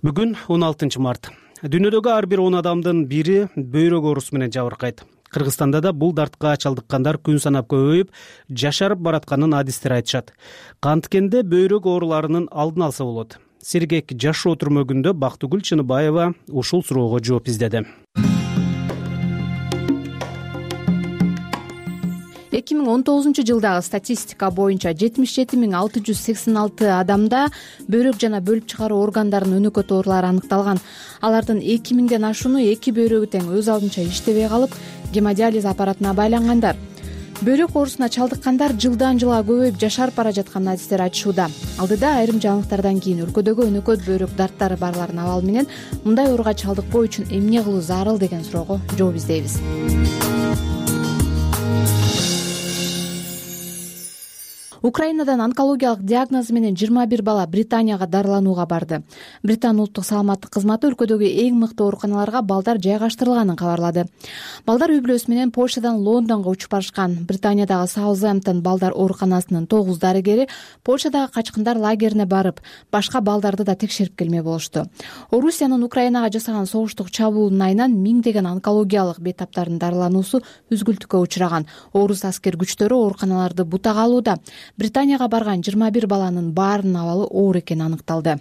Бүгүн он алтынчы март. Дүйнөдөгү ар бир он адамдын бири бөйрөк оорусу менен жабыркайт. Кыргызстанда да бул дартка чалдыккандар күн санап көбөйүп, жашарып баратканын адистер айтышат. Канткенде бөйрөк ооруларынын алдын алса болот. Сергек жашоо түрмөгүндө Бактыгүл Чыныбаева ушул суроого жооп издеди. эки миң он тогузунчу жылдагы статистика боюнча жетимиш жети миң алты жүз сексен алты адамда бөйрөк жана бөлүп чыгаруу органдарынын өнөкөт оорулары аныкталган. Алардын эки миңден ашууну эки бөйрөгү тең өз алдынча иштебей калып, гемодиализ аппаратына байлангандар. Бөйрөк оорусуна чалдыккандар жылдан жылга көбөйүп жашарып бара жатканын адистер айтышууда. Алдыда айрым жаңылыктардан кийин өлкөдөгү өнөкөт бөйрөк дарттары барлардын абалы менен мындай ооруга чалдыкпоо үчүн эмне кылуу зарыл деген суроого жооп издейбиз. Украинадан онкологиялык диагноз менен жыйырма бир бала Британияга дарыланууга барды. Британ улуттук саламаттык кызматы өлкөдөгү эң мыкты ооруканаларга балдар жайгаштырылганын кабарлады. Балдар үй бүлөсү менен Польшадан Лондонго учуп барышкан. Британиядагы Саутгемптон балдар ооруканасынын тогуз дарыгери Польшадагы качкындар лагерине барып, башка балдарды да текшерип келмек болушту. Орусиянын Украинага жасаган согуштук чабуулунун айынан миңдеген онкологиялык бейтаптардын дарылануусу үзгүлтүккө учураган. Орус аскер күчтөрү ооруканаларды бутак алууда. Британияга барган жыйырма бир баланын баарынын абалы оор экени аныкталды.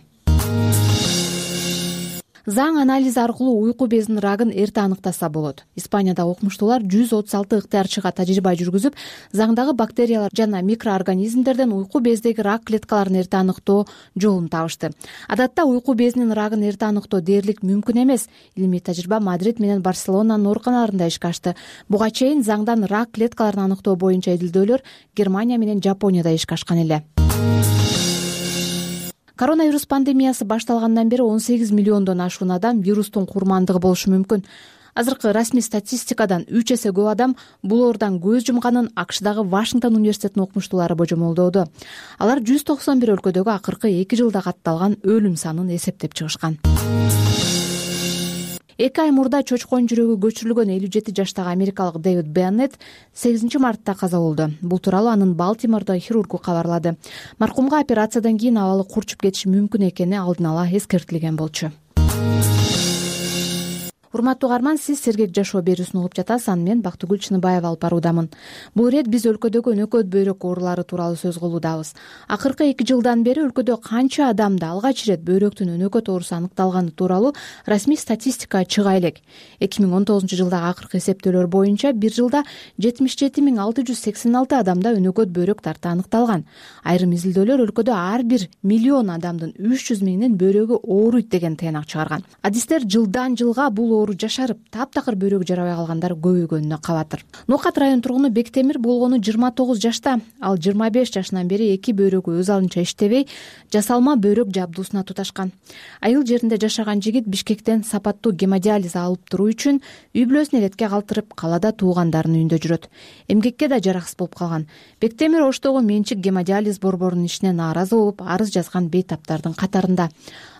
Заң анализи аркылуу уйку безинин рагын эрте аныктаса болот. Испанияда окумуштуулар жүз отуз алты ыктыярчыга тажрыйба жүргүзүп, заңдагы бактериялар жана микроорганизмдерден уйку бездеги рак клеткаларын эрте аныктоо жолун табышты. Адатта уйку безинин рагын эрте аныктоо дээрлик мүмкүн эмес. Илимий тажрыйба Мадрид менен Барселонанын ооруканаларында ишке ашты. Буга чейин заңдан рак клеткаларын аныктоо боюнча изилдөөлөр Германия менен Жапонияда ишке ашкан эле. Коронавирус пандемиясы башталгандан бери он сегиз миллиондон ашуун адам вирустун курмандыгы болушу мүмкүн. Азыркы расмий статистикадан үч эсе көп адам бул оорудан көз жумганын АКШдагы Вашингтон университетинин окумуштуулары божомолдоодо. Алар жүз токсон бир өлкөдөгү акыркы эки жылда катталган өлүм санын эсептеп чыгышкан. Эки ай мурда чочконун жүрөгү көчүрүлгөн элүү жети жаштагы америкалык Дэвид Беннет сегизинчи мартта каза болду. Бул тууралуу анын Балтимордо хирургу кабарлады. Маркумга операциядан кийин абалы курчуп кетиши мүмкүн экени алдын ала эскертилген болчу. Урматтуу угарман, сиз Сергек жашоо берүүсүн угуп жатасыз. Аны мен Бактыгүл Чыныбаева алып баруудамын. Бул ирет биз өлкөдөгү өнөкөт бөйрөк оорулары тууралуу сөз кылуудабыз. Акыркы эки жылдан бери өлкөдө канча адамда алгач ирет бөйрөктүн өнөкөт оорусу аныкталганы тууралуу расмий статистика чыга элек. эки миң он тогузунчу жылдагы акыркы эсептөөлөр боюнча бир жылда жетимиш жети миң алты жүз сексен алты адамда өнөкөт бөйрөк дарты аныкталган. Айрым изилдөөлөр өлкөдө ар бир миллион адамдын үч жүз миңинин бөйрөгү ооруйт деген тыйнак чыгарган. Адистер жылдан жылга бул оору жашарып, таптакыр бөйрөгү жарабай калгандар көбөйгөнүнө кабатыр. Нокат район тургуну Бектемир болгону жыйырма тогуз жашта. Ал жыйырма беш жашынан бери эки бөйрөгү өз алдынча иштебей, жасалма бөйрөк жабдуусуна туташкан. Айыл жеринде жашаган жигит Бишкектен сапаттуу гемодиализ алып туруу үчүн үй бүлөсүн эретке калтырып, калада туугандарынын үйүндө жүрөт. Эмгекке да жараксыз болуп калган. Бектемир Оштогу менчик гемодиализ борборунун ишине нааразы болуп, арыз жазган бейтаптардын катарында.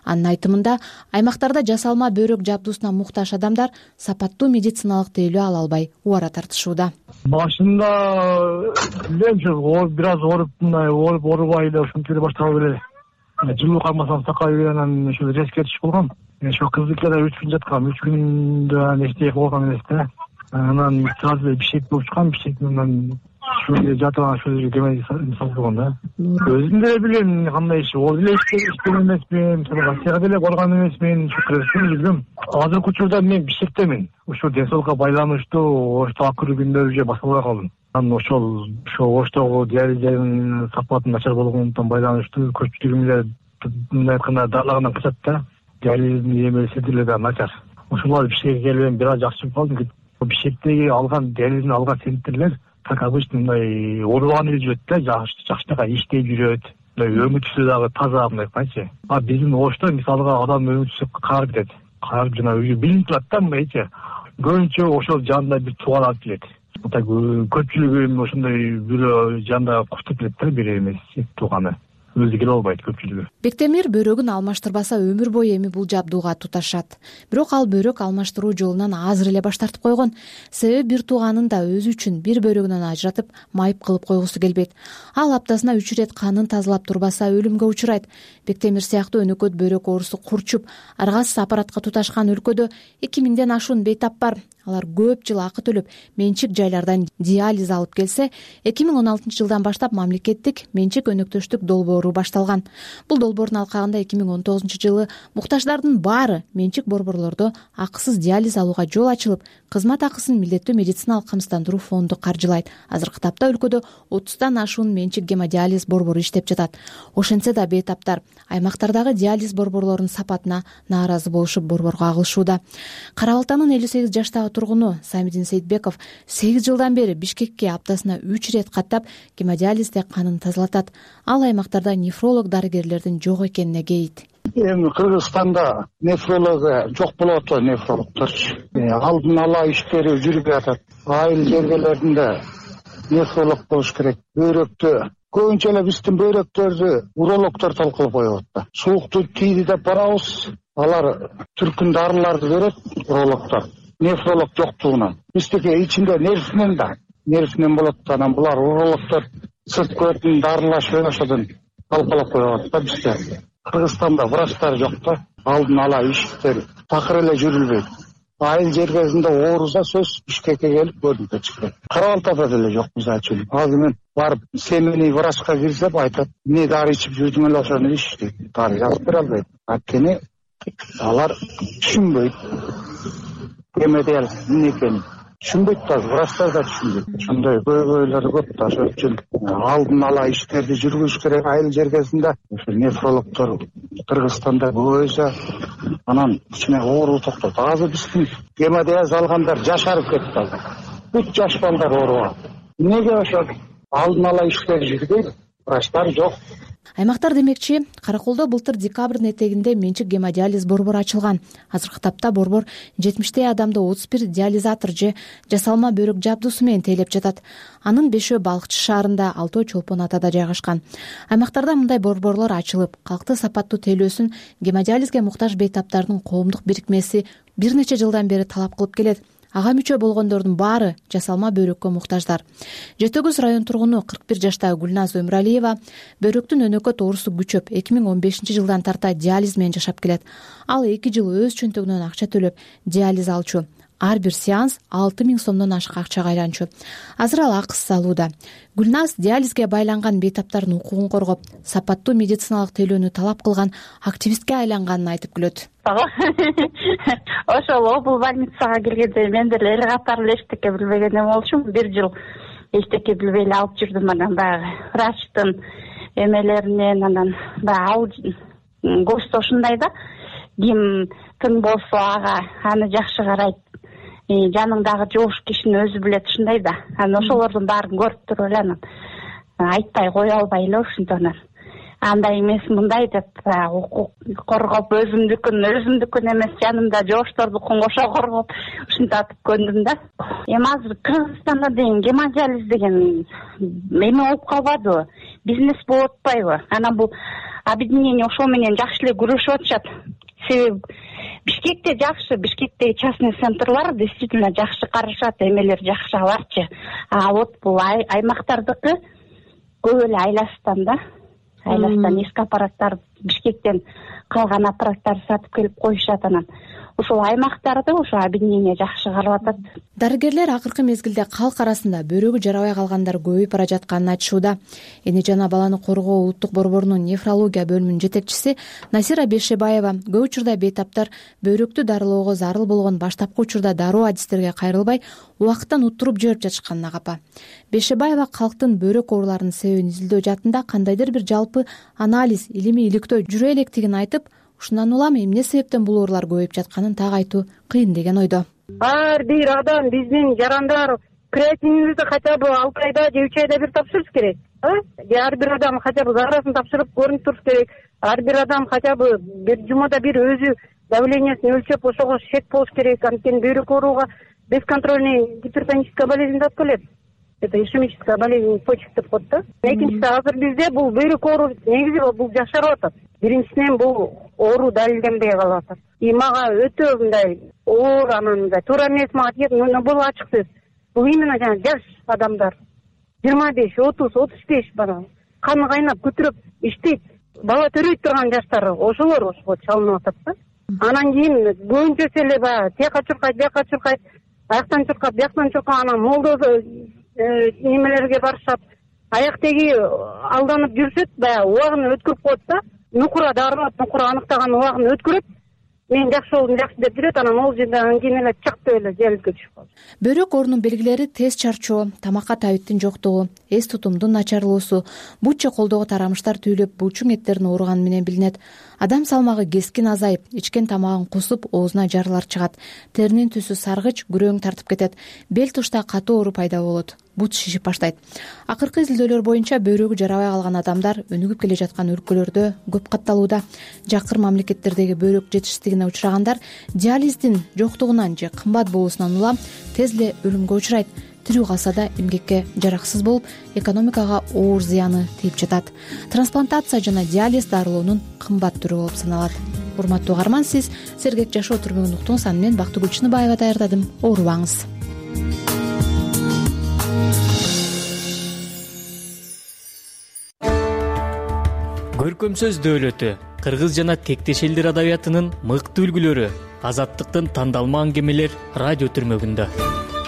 Анын айтымында, аймактарда жасалма бөйрөк жабдуусуна муктаж адамдар сапаттуу медициналык тейлөө ала албай убара тартышууда. Башында бир аз ооруп, мындай ооруп оорубай эле ушинтип эле башталып эле жылуу кармасам сакай берип анан ошо резко түшүп калгам. Ошо кыздыкта үч күн жаткам, үч күндө анан эчтеке кылып алган эмес да. Анан сразу эле бишек болуп чыккан, бишектен ушул жерде жатып анан ушул жерге кеме салган да. Өзүм деле билем кандай иш, ол деле иштеген эмесмин, Россияга деле барган эмесмин, ушу Кыргызстанда жүргөм. Азыркы учурда мен бишектемин. Ушул ден соолукка байланыштуу ошто акыркы күндөрү же басылбай калдым. Анан ошол ошо оштогу диализдин сапаты начар болгондуктан байланыштуу көпчүлүгүм эле мындай айтканда дарылагандан качат да. Диализдин эмеси деле да начар. Ошолар бишкекке келип бир аз жакшы болуп калдым. Бишектеги алган диализдин алган центрлер как обычно мындай оорубаган эле жүрөт да, жакшы жакшынакай иштей жүрөт. Мындай өмүр түзү дагы таза мындай кайчы. А биздин Ошто мисалга адам өмүр түзү карап кетет. Карап жана өзү билинип турат да мындайчы. Көбүнчө ошол жанында бир тууган алып келет. Так көпчүлүгү ошондой бирөө жанында куштап келет да, бир эмес тууганы. Өзү келе албайт көпчүлүгү. Бектемир бөйрөгүн алмаштырбаса өмүр бою эми бул жабдууга туташат. Бирок ал бөйрөк алмаштыруу жолунан азыр эле баш тартып койгон. Себеби бир тууганын да өзү үчүн бир бөйрөгүнөн ажыратып майып кылып койгусу келбейт. Ал аптасына үч ирет канын тазалап турбаса өлүмгө учурайт. Бектемир сыяктуу өнөкөт бөйрөк оорусу курчуп, аргасыз аппаратка туташкан өлкөдө эки миңден ашуун бейтап бар. Алар көп жыл акы төлөп, менчик жайлардан диализ алып келсе, эки миң он алтынчы жылдан баштап мамлекеттик менчик өнөктөштүк долбоору башталган. Бул долбоордун алкагында эки миң он тогузунчу жылы муктаждардын баары менчик борборлордо акысыз диализ алууга жол ачылып, кызмат акысын милдеттүү медициналык камсыздандыруу фонду каржылайт. Азыркы тапта өлкөдө отуздан ашуун менчик гемодиализ борбору иштеп жатат. Ошентсе да бейтаптар аймактардагы диализ борборлорунун сапатына нааразы болушуп борборго агылышууда. Кара Балтанын элүү сегиз жаштагы тургуну Самидин Сейитбеков сегиз жылдан бери Бишкекке аптасына үч ирет каттап гемодиализде канын тазалатат. Ал аймактарда нефролог дарыгерлердин жок экенине кейит. Эми Кыргызстанда нефролог жок болуп атат, нефрологдорчу. Алдын ала иштери жүрүп жатат. Айыл жергелеринде нефролог болуш керек. Бөйрөктө көбүнчө эле биздин бөйрөктөрдү урологдор талкалап коет да. Суукту тийди деп барабыз. Алар түркүн дарыларды берет урологдор. Нефролог жоктугунан. Биздики ичинде нервинен да, нервинен болот. Анан булар урологдор сырт көтүн дарылашып ошодон талкалап коет да бизде. Кыргызстанда врачтар жок да, алдын ала иштер такыр эле жүрүлбөйт. Айыл жергесинде ооруза сөз Бишкекке келип көрүнүп чыкты. Кара Балтада деле жок мисалы үчүн. Азыр мен барып семейный врачка кирсем айтат, эмне дары ичип жүрдүң эле ошону ич дейт. Дары жазып бере албайт. Анткени алар түшүнбөйт. Гемодиализ эмне экенин түшүнбөйт да, врачтар да түшүнбөйт. Ошондой көйгөйлөр көп да, ошон үчүн алдын ала иштерди жүргүзүш керек айыл жергесинде. Ошо нефрологдор Кыргызстанда көбөйсө, анан кичине оору токтойт. Азыр биздин гемодиализ алгандар жашарып кетти. Үч жаш балдар оорубаган. Эмнеге ошо алдын ала иштер жүрбөйт? Врачтар жок. Аймактар демекчи, Караколдо былтыр декабрдын этегинде менчик гемодиализ борбору ачылган. Азыркы тапта борбор жетимиштей адамды отуз бир диализатор же жасалма бөйрөк жабдуусу менен тейлеп жатат. Анын бешөө Балыкчы шаарында, алтөө Чолпон атада жайгашкан. Аймактарда мындай борборлор ачылып, калкты сапаттуу тейлөөсүн гемодиализге муктаж бейтаптардын коомдук бирикмеси бир нече жылдан бери талап кылып келет. Ага мүчө болгондордун баары жасалма бөйрөккө муктаждар. Жети Огуз район тургуну кырк бир жаштагы Гүлназ Өмүралиева бөйрөктүн өнөкөт оорусу күчөп эки миң он бешинчи жылдан тарта диализ менен жашап келет. Ал эки жыл өз чөнтөгүнөн акча төлөп диализ алчу. Ар бир сеанс алты миң сомдон ашык акчага айланчу. Азыр ал акысыз алууда. Гүлназ диализге байланган бейтаптардын укугун коргоп, сапаттуу медициналык тейлөөнү талап кылган активистке айланганын айтып күлөт. Ошол обул больницага келгенде мен деле эл катары эле эчтеке билбеген эме болчумун. Бир жыл эчтеке билбей эле алып жүрдүм. Анан баягы врачтын эмелеринен анан баягы ал көзсү ушундай да, ким тың болсо ага аны жакшы карайт. Жаныңдагы жугуш кишини өзү билет ушундай да. Анан ошолордун баарын көрүп туруп эле анан айтпай кое албай эле ушинтип анан андай эмес мындай деп укук коргоп өзүмдүкүн өзүмдүкүн эмес жанымда жооштордукун кошо коргоп ушинтип көндүм да. Эми азыр Кыргызстанда деген гемодиализ деген эме болуп калбадыбы, бизнес болуп атпайбы? Анан бул объединение ошол менен жакшы эле күрөшүп атышат. Себеби Бишкекте жакшы, Бишкектеги частный центрлар действительно жакшы карашат, эмелер жакшы аларчы. А вот бул аймактардыкы көп эле айластан да. Айластан эски аппараттар Бишкектен калган аппараттарды сатып келип коюшат, анан ошол аймактарды ошо объединение жакшы карап атат. Дарыгерлер акыркы мезгилде калк арасында бөйрөгү жарабай калгандар көбөйүп бара жатканын айтышууда. Эне жана баланы коргоо улуттук борборунун нефрология бөлүмүнүн жетекчиси Насира Бешебаева көп учурда бейтаптар бөйрөктү дарылоого зарыл болгон баштапкы учурда дароо адистерге кайрылбай убакыттан уттуруп жиберип жатышканына капа. Бешебаева калктын бөйрөк ооруларынын себебин изилдөө жаатында кандайдыр бир жалпы анализ, илимий иликтөө жүрө электигин айтып, ушундан улам эмне себептен бул оорулар көбөйүп жатканын так айтуу кыйын деген ойдо. Ар бир адам биздин жарандар креатинибизди хотя бы алты айда же үч айда бир тапшырыш керек. Ар бир адам хотя бы зарасын тапшырып көрүнүп туруш керек. Ар бир адам хотя бы бир жумада бир өзү давлениесин өлчөп ошого шек болуш керек. Анткени бөйрөк ооруга бесконтрольный гипертоническая болезнь деп келет. Это ишемическая болезнь почек деп коет да. Экинчиси, азыр бизде бул бөйрөк оору негизи бул жашарып атат. Биринчисинен бул оору далилденбей калып атат. И мага өтө мындай оор, анан мындай туура эмес мага тиет, но бул ачык сөз. Бул именно жана жаш адамдар жыйырма беш, отуз, отуз беш бана каны кайнап көтүрөп иштейт, бала төрөйт турган жаштар ошолор ошого чалынып атат да. Анан кийин көбүнчөсү эле баягы тияка чуркайт, бияка чуркайт, аяктан чуркап, бияктан чуркап, анан молдо немелерге барышат. Аяк теги алданып жүрүшөт, баягы убагын өткөрүп коет да. Нукура дарылап, нукура аныктаган убагын өткөрөт. Мен жакшы болдум, жакшы деп жүрөт, анан ол жерден кийин эле чакты эле желилге түшүп калат. Бөйрөк оорунун белгилери тез чарчоо, тамакка табиттин жоктугу, эс тутумдун начарлоосу, бут же колдогу тарамыштар түйүлүп, булчуң эттерин ооруганы менен билинет. Адам салмагы кескин азайып, ичкен тамагын кусуп, оозуна жарылар чыгат. Теринин түсү саргыч, күрөң тартып кетет. Бел тушта катуу оору пайда болот. Бут шишип баштайт. Акыркы изилдөөлөр боюнча бөйрөгү жарабай калган адамдар өнүгүп келе жаткан өлкөлөрдө көп катталууда. Жакыр мамлекеттердеги бөйрөк жетишсиздигине учурагандар диализдин жоктугунан же кымбат болуусунан улам тез эле өлүмгө учурайт. Тирүү калса да эмгекке жараксыз болуп, экономикага оор зыяны тийип жатат. Трансплантация жана диализ дарылоонун кымбат түрү болуп саналат. Урматтуу угарман, сиз сергек жашоо түрмөгүн уктуңуз. Аны мен Бактыгүл Чыныбаева даярдадым. Оорубаңыз. Көркөм сөз дөөлөтү, кыргыз жана тектеш элдер адабиятынын мыкты үлгүлөрү, азаттыктын тандалма аңгемелер радио түрмөгүндө.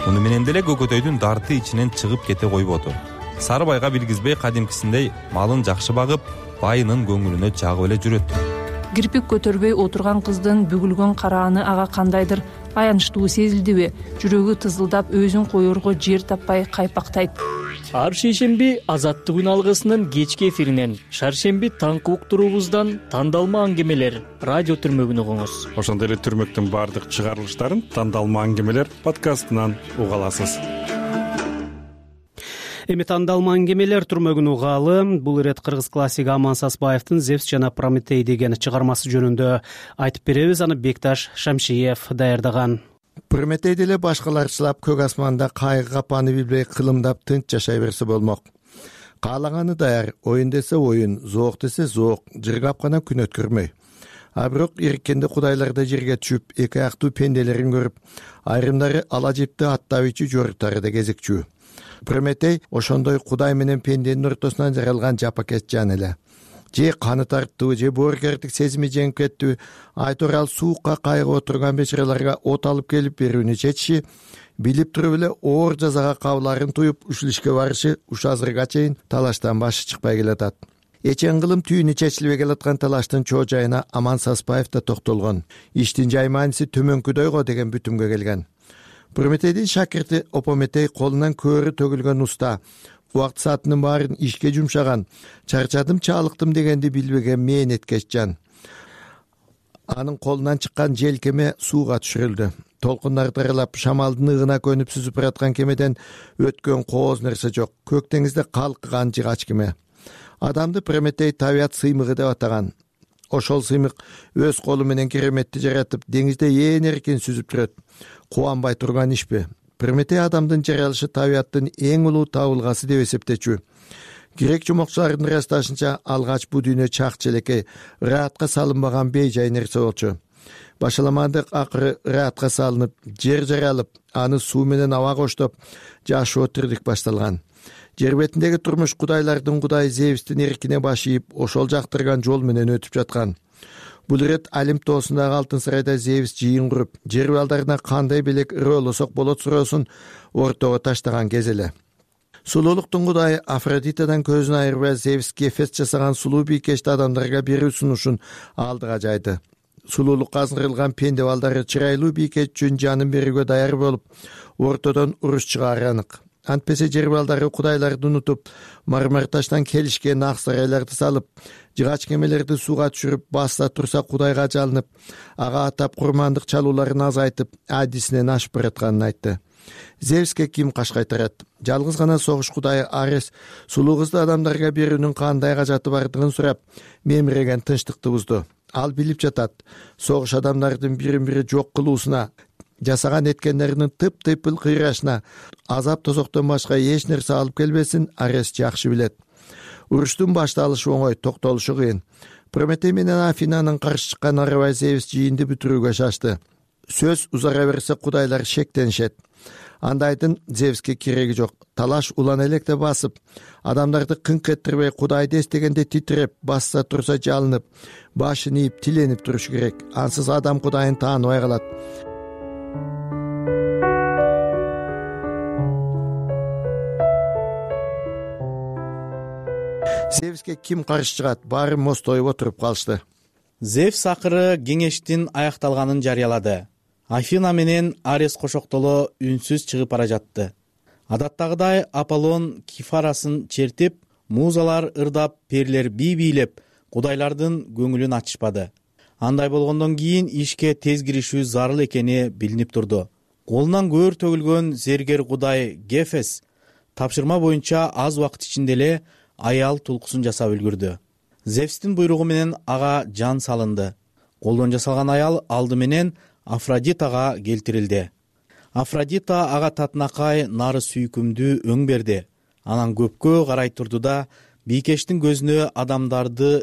Муну менен деле көкөтөйдүн дарты ичинен чыгып кете койбоду. Сарыбайга билгизбей кадимкисиндей малын жакшы багып, байынын көңүлүнө жагып эле жүрөт. Кирпик көтөрбөй отурган кыздын бүгүлгөн карааны ага кандайдыр аянычтуу сезилдиби? Жүрөгү тызылдап, өзүн коерго жер таппай кайпактайт. Ар шейшемби азаттык үн алгысынын кечки эфиринен, шаршемби таңкы уктуруубуздан тандалма аңгемелер радио түрмөгүн угуңуз. Ошондой эле түрмөктүн баардык чыгарылыштарын тандалма аңгемелер подкастынан уга аласыз. Эми тандалма аңгемелер түрмөгүн угаалы. Бул ирет кыргыз классиги Аман Сасбаевдин Зевс жана Прометей деген чыгармасы жөнүндө айтып беребиз. Аны Бекташ Шамшиев даярдаган. Прометей деле башкаларчылап көк асманда кайгы капаны билбей кылымдап тынч жашай берсе болмок. Каалаганы даяр, оюн десе оюн, зоок десе зоок, жыргап гана күн өткөрмөй. А бирок ириккенде кудайларда жерге түшүп, эки аяктуу пенделерин көрүп, айрымдары ала жипти аттабычы жоруктары да кезекчүү. Прометей ошондой кудай менен пенденин ортосунан жаралган жапакес жан эле. Же каны тарттыбы, же боорукердик сезими жеңип кеттиби, айтурал суукка кайгып отурган бечараларга от алып келип берүүнү чечиши, билип туруп эле оор жазага кабыларын туюп ушул ишке барышы ушу азырга чейин талаштан башы чыкпай келатат. Эчен кылым түйүнү чечилбей келаткан талаштын чоо жайына Аман Сасбаев да токтолгон. Иштин жай мааниси төмөнкүдөй го деген бүтүмгө келген. Прометейдин шакирти Опометей колунан көөрү төгүлгөн уста, убакыт саатынын баарын ишке жумшаган, чарчадым чаалыктым дегенди билбеген мээнеткеч жан. Анын колунан чыккан желкеме сууга түшүрүлдү. Толкундар таралап, шамалдын ыгына көнүп сүзүп бараткан кемеден өткөн кооз нерсе жок. Көк деңизде калкыган жыгач кеме. адамды Прометей табият сыймыгы деп атаган. Ошол сыймык өз колу менен кереметти жаратып, деңизде ээн эркин сүзүп жүрөт. Кубанбай турган ишпи? Прометей адамдын жаралышы табияттын эң улуу табылгасы деп эсептечү. Грек жумокчуларынын ырасташынча алгач бул дүйнө чак челекей, ыраатка салынбаган бейжай нерсе болчу. Башаламандык акыры ыраатка салынып, жер жаралып, аны суу менен аба коштоп, жашоо тирдик башталган. Жер бетиндеги турмуш кудайлардын кудайы Зевстин эркине баш ийип, ошол жактырган жол менен өтүп жаткан. Бул ирет Олимп тоосундагы алтын сарайда Зевс жыйын куруп, жер балдарына кандай белек ырыолосок болот суроосун ортого таштаган кез эле. Сулуулуктун кудайы Афродитадан көзүн айырбай Зевс Гефес жасаган сулуу бийкечти адамдарга берүү сунушун алдыга жайды. Сулуулукка азгырылган пенде балдары чырайлуу бийкеч үчүн жанын берүүгө даяр болуп, ортодон уруш чыгаары анык. Антпесе жер балдары кудайларды унутуп, мармар таштан келишкен ак сарайларды салып, жыгач кемелерди сууга түшүрүп, басса турса кудайга жалынып, ага атап курмандык чалууларын азайтып, адисинен ашып баратканын айтты. Зевске ким каш кайтарат? Жалгыз гана согуш кудайы Арес сулуу кызды адамдарга берүүнүн кандай кажаты бардыгын сурап, мемиреген тынчтыкты бузду. Ал билип жатат, согуш адамдардын бирин бири жок кылуусуна, жасаган эткендеринин тып-тыйпыл кыйрашына азап тозоктон башка эч нерсе алып келбесин Арес жакшы билет. Уруштун башталышы оңой, токтолушу кыйын. Прометей менен Афинанын каршы чыккан арабай Зевс жыйынды бүтүрүүгө шашты. Сөз узара берсе кудайлар шектенишет. Андайдын Зевске кереги жок. Талаш улан электе басып, адамдарды кыңк эттирбей, кудайды эстегенде титиреп, басса турса жалынып, башын ийип, тиленип туруш керек. Ансыз адам кудайын тааныбай калат. Зевске ким каршы чыгат? Баары мостоюп отуруп калышты. Зевс акыры кеңештин аякталганын жарыялады. Афина менен Арес кошоктоло үнсүз чыгып бара жатты. Адаттагыдай Аполлон Кифарасын чертип, музалар ырдап, перлер бий бийлеп, кудайлардын көңүлүн ачышпады. Андай болгондон кийин ишке тез киришүү зарыл экени билинип турду. Колунан көөр төгүлгөн зергер кудай Гефес тапшырма боюнча аз убакыт ичинде эле аял тулкусун жасап үлгүрдү. Зевстин буйругу менен ага жан салынды. Колдон жасалган аял алды менен Афродитага келтирилди. Афродита ага татынакай нары сүйкүмдүү өң берди. Анан көпкө карай турду да бийкештин көзүнө адамдарды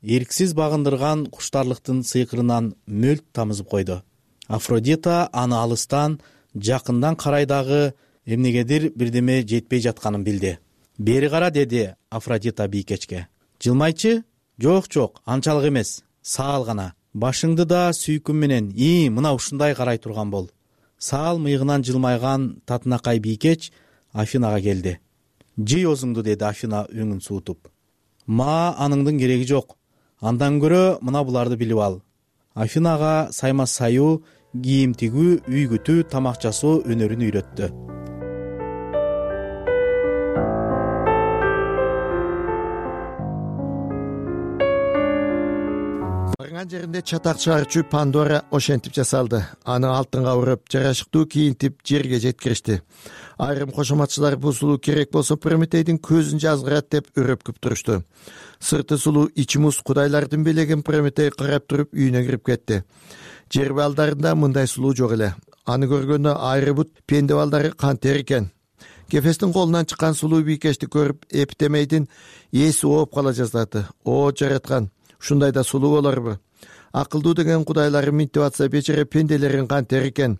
эрксиз багындырган куштарлыктын сыйкырынан мөлт тамызып койду. Афродита аны алыстан, жакындан карай дагы эмнегедир бирдеме жетпей жатканын билди. Бери кара, деди Афродита бийкечке. Жылмайчы? Жок, жок, анчалык эмес, саал гана. Башыңды да сүйкүм менен, ии, мына ушундай карай турган бол. Саал мыйгынан жылмайган татынакай бийкеч Афинага келди. Жый өзүңдү, деди Афина өңүн суутуп. Ма аныңдын кереги жок. Андан көрө мына буларды билип ал. Афинага сайма саюу, кийим тигүү, үй күтүү, тамак жасоо өнөрүн үйрөттү. Барган жеринде чатак чыгарчу Пандора ошентип жасалды. Аны алтынга урап, жарашыктуу кийинтип жерге жеткиришти. Айрым кошоматчылар бул сулуу керек болсо Прометейдин көзүн жазгырат деп өрөпкүп турушту. Сырты сулуу, ичи муз кудайлардын белегин Прометей карап туруп үйүнө кирип кетти. Жер балдарында мындай сулуу жок эле. Аны көргөндө айрыбут пенде балдары кантер экен. Гефестин колунан чыккан сулуу бийкечти көрүп, Эптемейдин эси ооп кала жаздады. О жараткан, ушундай да сулуу болорбу? Акылдуу деген кудайлары минтип атса, бечере пенделерин кантер экен.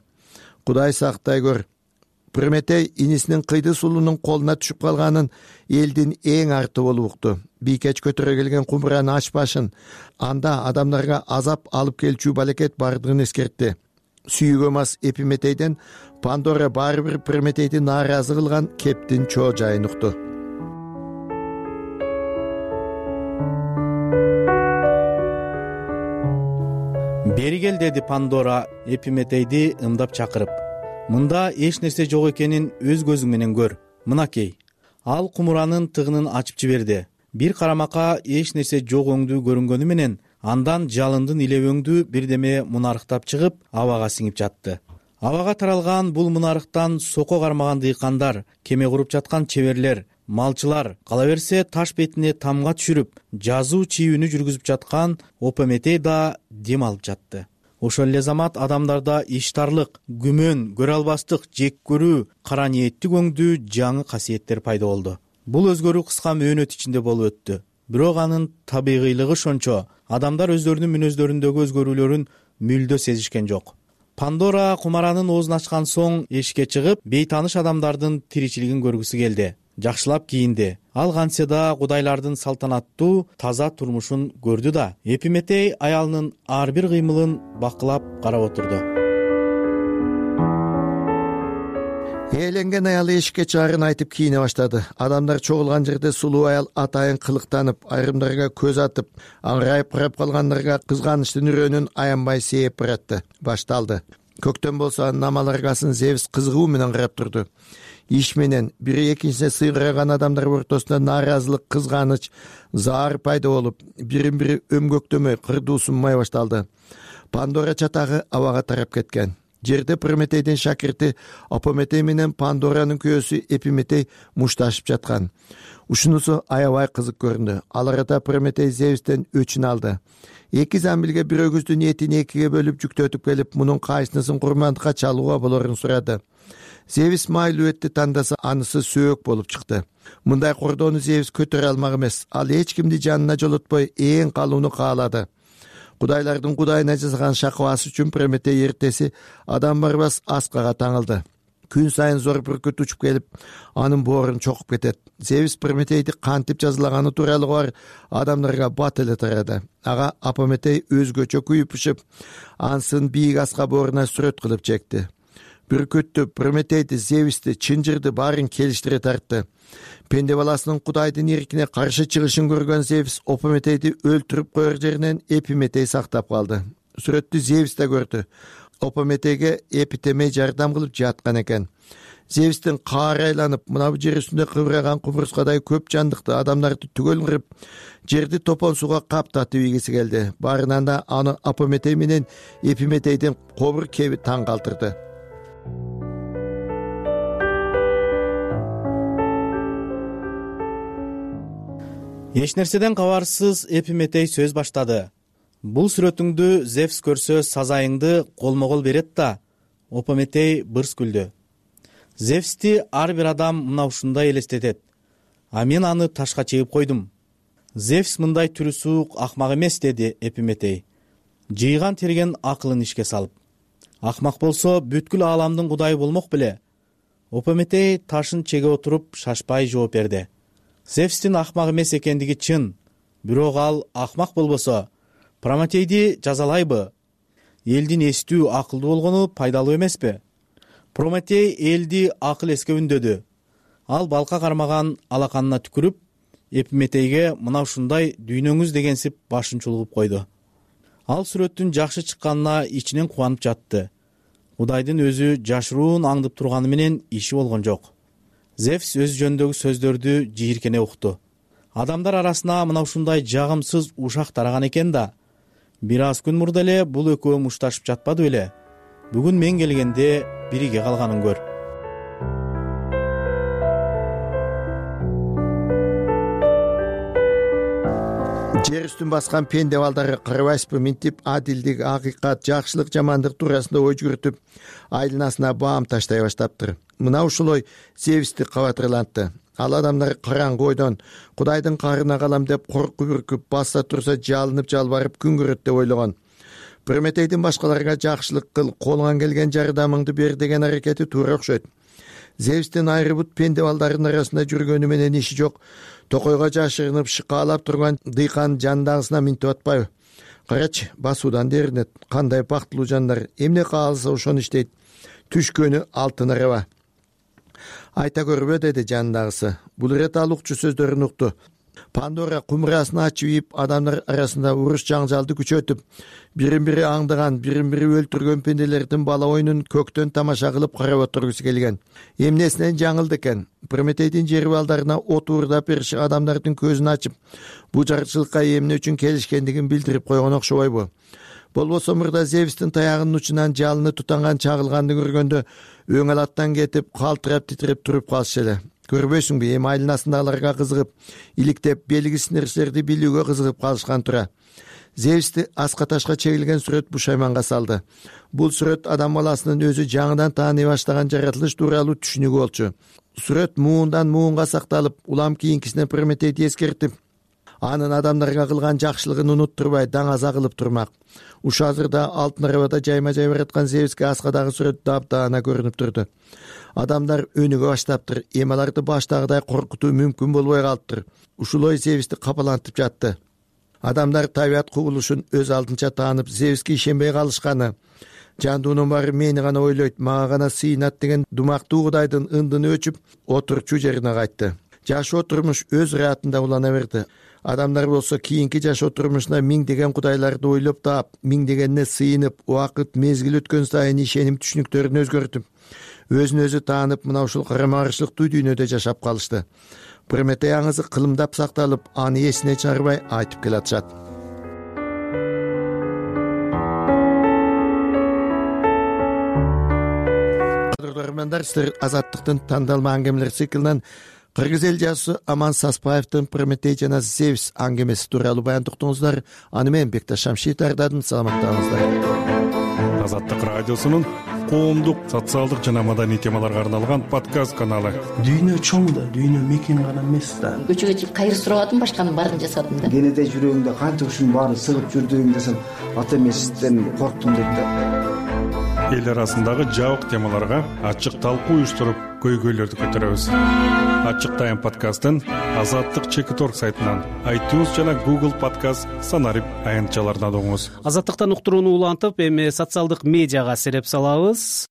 Кудай сактай көр. Прометей инисинин кыйды сулуунун колуна түшүп калганын элдин эң арты болуп укту. Бийкеч көтөрө келген кумураны ачпашын, анда адамдарга азап алып келчү балекет бардыгын эскертти. Сүйүүгө мас Эпиметейден Пандора баары бир Прометейдин нааразы кылган кептин чоо жайын укту. Бери кел, деди Пандора Эпиметейди ымдап чакырып. Мында эч нерсе жок экенин өз көзүң менен көр. Мынакей. Ал кумуранын тыгынын ачып жиберди. Бир карамакка эч нерсе жок өңдүү көрүнгөнү менен андан жалындын иле өңдүү бирдеме мунарыктап чыгып, абага сиңип жатты. Абага таралган бул мунарыктан соко кармаган дыйкандар, кеме куруп жаткан чеберлер, малчылар кала берсе таш бетине тамга түшүрүп жазуу чийүүнү жүргүзүп жаткан Опометей да дем алып жатты. Ошол эле замат адамдарда иштарлык, күмөн, көрө албастык, жек көрүү, кара ниеттик өңдүү жаңы касиеттер пайда болду. Бул өзгөрүү кыска мөөнөт ичинде болуп өттү. Бирок анын табигыйлыгы ошончо, адамдар өздөрүнүн мүнөздөрүндөгү өзгөрүүлөрүн мүлдө сезишкен жок. Пандора кумаранын оозун ачкан соң эшикке чыгып, бейтааныш адамдардын тиричилигин көргүсү келди. Жакшылап кийинди. Ал кантсе да кудайлардын салтанаттуу, таза турмушун көрдү да, Эпиметей аялынын ар бир кыймылын бакылап карап отурду. Ээленген аял эшикке чыгарын айтып кийине баштады. Адамдар чогулган жерде сулуу аял атайын кылыктанып, айрымдарга көз атып, аңырайып карап калгандарга кызганычтын үрөөнүн аянбай сээп баратты. Башталды. Көктөн болсо намаларгасын Зевс кызыгуу менен карап турду. Иш менен бири экинчисине сыйгыраган адамдар ортосунда нааразылык, кызганыч, заар пайда болуп, бирин-бири өмгөктөмөй, кырдуу сунмай башталды. Пандора чатагы абага тарап кеткен. Жерде Прометейдин шакирти Опометей менен Пандоранын күйөөсү Эпиметей мушташып жаткан. Ушунусу аябай кызык көрүндү. Ал арада Прометей Зевстен өчүн алды. Эки замбилге бир өгүздүн этин экиге бөлүп жүктөтүп келип, мунун кайсынысын курмандыкка чалууга болорун сурады. Зевс майлуу этти тандаса, анысы сөөк болуп чыкты. Мындай кордоону Зевс көтөрө алмак эмес. Ал эч кимди жанына жолотпой эң калууну каалады. Кудайлардын кудайына жасаган шакыбасы үчүн Прометей эртеси адам барбас аскага таңылды. Күн сайын зор бүркүт учуп келип, анын боорун чокуп кетет. Зевс Прометейди кантип жазалаганы тууралуу бар адамдарга бат эле тарады. Ага Опометей өзгөчө күйүп-пышып, ансын бийик аска бооруна сүрөт кылып чекти. Бүркүттү, Прометейди, Зевсти, чынжырды баарын келиштире тартты. Пенде баласынын кудайдын эркине каршы чыгышын көргөн Зевс Опометейди өлтүрүп коер жеринен Эпиметей сактап калды. Сүрөттү Зевс да көрдү. Опометейге Эпитемей жардам кылып жаткан экен. Зевстин каары айланып, мына бу жер үстүндө кыбыраган кубурскадай көп жандыкты адамдарды түгөл кырып, жерди топон сууга каптатып ийгиси келди. Баарынан да аны Опометей менен Эпиметейдин кобур кеби таң калтырды. Эч нерседен кабарсыз Эпиметей сөз баштады. Бул сүрөтүңдү Зевс көрсө сазайыңды колмо-кол берет да. Опометей бырс күлдү. Зевсти ар бир адам мына ушундай элестетет. А мен аны ташка чегип койдум. Зевс мындай түрү суук акмак эмес, деди Эпиметей. Жыйган терген акылын ишке салып. Акмак болсо бүткүл ааламдын кудайы болмок беле? Опометей ташын чеге отуруп шашпай жооп берди. Зевстин акмак эмес экендиги чын. Бирок ал акмак болбосо, Прометейди жазалайбы? Элдин эстүү, акылдуу болгону пайдалуу эмеспи? Прометей элди акыл эске үндөдү. Ал балка кармаган алаканына түкүрүп, Эпиметейге мына ушундай дүйнөңүз дегенсип башын чулгуп койду. Ал сүрөттүн жакшы чыкканына ичинен кубанып жатты. Кудайдын өзү жашыруун аңдып турганы менен иши болгон жок. Зевс өз жөнүндөгү сөздөрдү жийиркене укту. Адамдар арасына мына ушундай жагымсыз ушак тараган экен да. Бир аз күн мурда эле бул экөө мушташып жатпады беле? Бүгүн мен келгенде бириге калганын көр. Жер үстүн баскан пенде балдары карабайсызбы, минтип адилдик, акыйкат, жакшылык, жамандык туурасында ой жүгүртүп, айланасына баам таштай баштаптыр. Мына ушул ой Зевсти кабатырлантты. Ал адамдар караңгы ойдон Кудайдын каарына калам деп коркуп үркүп, басса турса жалынып жалбарып күн көрөт деп ойлогон. Прометейдин башкаларга жакшылык кыл, колуңан келген жардамыңды бер деген аракети туура окшойт. Зевстин айрыбут пенде балдардын арасында жүргөнү менен иши жок. Токойго жашырынып шыкаалап турган дыйкан жандагысына минтип атпайбы? Карачы, басуудан деринет. Кандай бактылуу жандар, эмне кааласа ошону иштейт. Түшкөнү алтын араба. Айта көрбө, деди жандагысы. Бул ирет ал укчу сөздөрүн укту. Пандора кумурасын ачып ийип, адамдар арасында уруш жаңжалды күчөтүп, бирин-бири аңдыган, бирин-бири өлтүргөн пенделердин бала оюнун көктөн тамаша кылып карап отургусу келген. Эмнесинен жаңылды экен? Прометейдин жер балдарына от уурдап бериши адамдардын көзүн ачып, бул жарчылыкка эмне үчүн келишкендигин билдирип койгон окшобойбу? Болбосо мурда Зевстин таягынын учунан жалыны тутанган чагылганды көргөндө өң алаттан кетип, калтырап титиреп туруп калышы эле. көрбөйсүңбү, эми айланасындагыларга кызыгып, иликтеп, белгисиз нерселерди билүүгө кызыгып калышкан тура. Зевсти аска ташка чегилген сүрөт бушайманга салды. Бул сүрөт адам баласынын өзү жаңыдан тааный баштаган жаратылыш тууралуу түшүнүгү болчу. Сүрөт муундан муунга сакталып, улам кийинкисине Прометейди эскертип, анын адамдарга кылган жакшылыгын унуттурбай даңаза кылып турмак. Ушул азырда алтын арабада жайма-жай бараткан Зевске аскадагы сүрөт дапдаана көрүнүп турду. Адамдар өнүгө баштаптыр, эми аларды баштагыдай коркутуу мүмкүн болбой калыптыр. Ушул ой Зевсти капалантып жатты. Адамдар табият кубулушун өз алдынча таанып, Зевске ишенбей калышканы, жандуунун баары мени гана ойлойт, мага гана сыйынат деген думактуу кудайдын ындыны өчүп, отурчу жерине кайтты. Жашоо турмуш өз ыраатында улана берди. Адамдар болсо кийинки жашоо турмушуна миңдеген кудайларды ойлоп таап, миңдегенине сыйынып, убакыт мезгил өткөн сайын ишеним түшүнүктөрүн өзгөртүп, өзүн өзү таанып, мына ушул карама-каршылыктуу дүйнөдө жашап калышты. Прометей аңызы кылымдап сакталып, аны эсине чыгарбай айтып келатышат. Кадырлармандар, силер Азаттыктын тандалма аңгемелер циклинен кыргыз эл жазуусу Аман Саспаевдин Прометей жана Зевс аңгемеси тууралуу баян уктуңуздар. Аны мен Бекташ Шамшиев даярдадым. Саламаттаңыздар. Азаттык радиосунун коомдук, социалдык жана маданий темаларга арналган подкаст каналы. Дүйнө чоң да, дүйнө мекен гана эмес да. Көчөгө чыгып кайыр сурабадым, башканын баарын жасадым да. Кенеде жүрөгүңдө канча ушунун баарын сыгып жүрдүң десем, ата эмесизден корктум дейт да. Эл арасындагы жабык темаларга ачык талкуу уюштуруп, көйгөйлөрдү көтөрөбүз. Ачык Тайм подкастын Азаттык чекит точка орг сайтынан, iTunes жана Google подкаст санарип аянтчаларынан угуңуз. Азаттыктан уктурууну улантып, эми социалдык медиага сереп салабыз.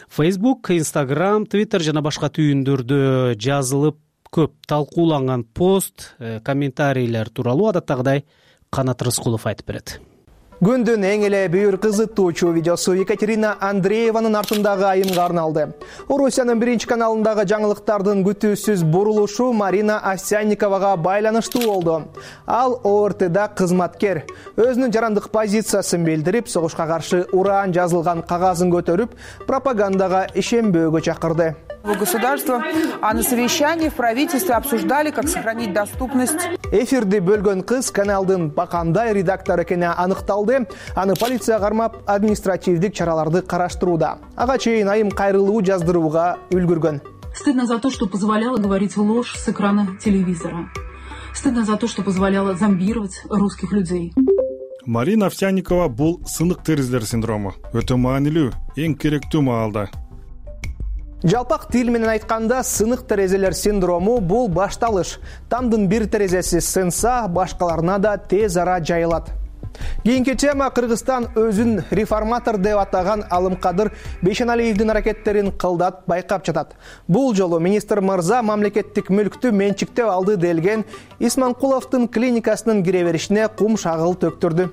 Facebook, Instagram, Twitter жана башка түйүндөрдө жазылып көп талкууланган пост, комментарийлер тууралуу адаттагыдай Канат Рыскулов айтып берет. Күндүн эң эле бүйүр кызыктуучу видеосу Екатерина Андрееванын артындагы айымга арналды. Орусиянын биринчи каналындагы жаңылыктардын күтүүсүз бурулушу Марина Овсянниковага байланыштуу болду. Ал О Р Тда кызматкер. Өзүнүн жарандык позициясын билдирип, согушка каршы ураан жазылган кагазын көтөрүп, пропагандага ишенбөөгө чакырды. Государство, а на совещании в правительстве обсуждали, как сохранить доступность. Эфирди бөлгөн кыз каналдын бакандай редактор экени аныкталды. Аны полиция кармап, административдик чараларды караштырууда. Ага чейин айым кайрылуу жаздырууга үлгүргөн. Стыдно за то, что позволяло говорить ложь с экрана телевизора. Стыдно за то, что позволяло зомбировать русских людей. Марина Овсянникова бул сынык терезелер синдрому. Өтө маанилүү, эң керектүү маалда. Жалпак тил менен айтканда, сынык терезелер синдрому бул башталыш. Тамдын бир терезеси сынса, башкаларына да тез ара жайылат. Кийинки тема Кыргызстан өзүн реформатор деп атаган Алымкадыр Бейшеналиевдин аракеттерин кылдат байкап жатат. Бул жолу министр мырза мамлекеттик мүлктү менчиктеп алды делген Исманкуловдун клиникасынын кире беришине кум шагыл төктүрдү.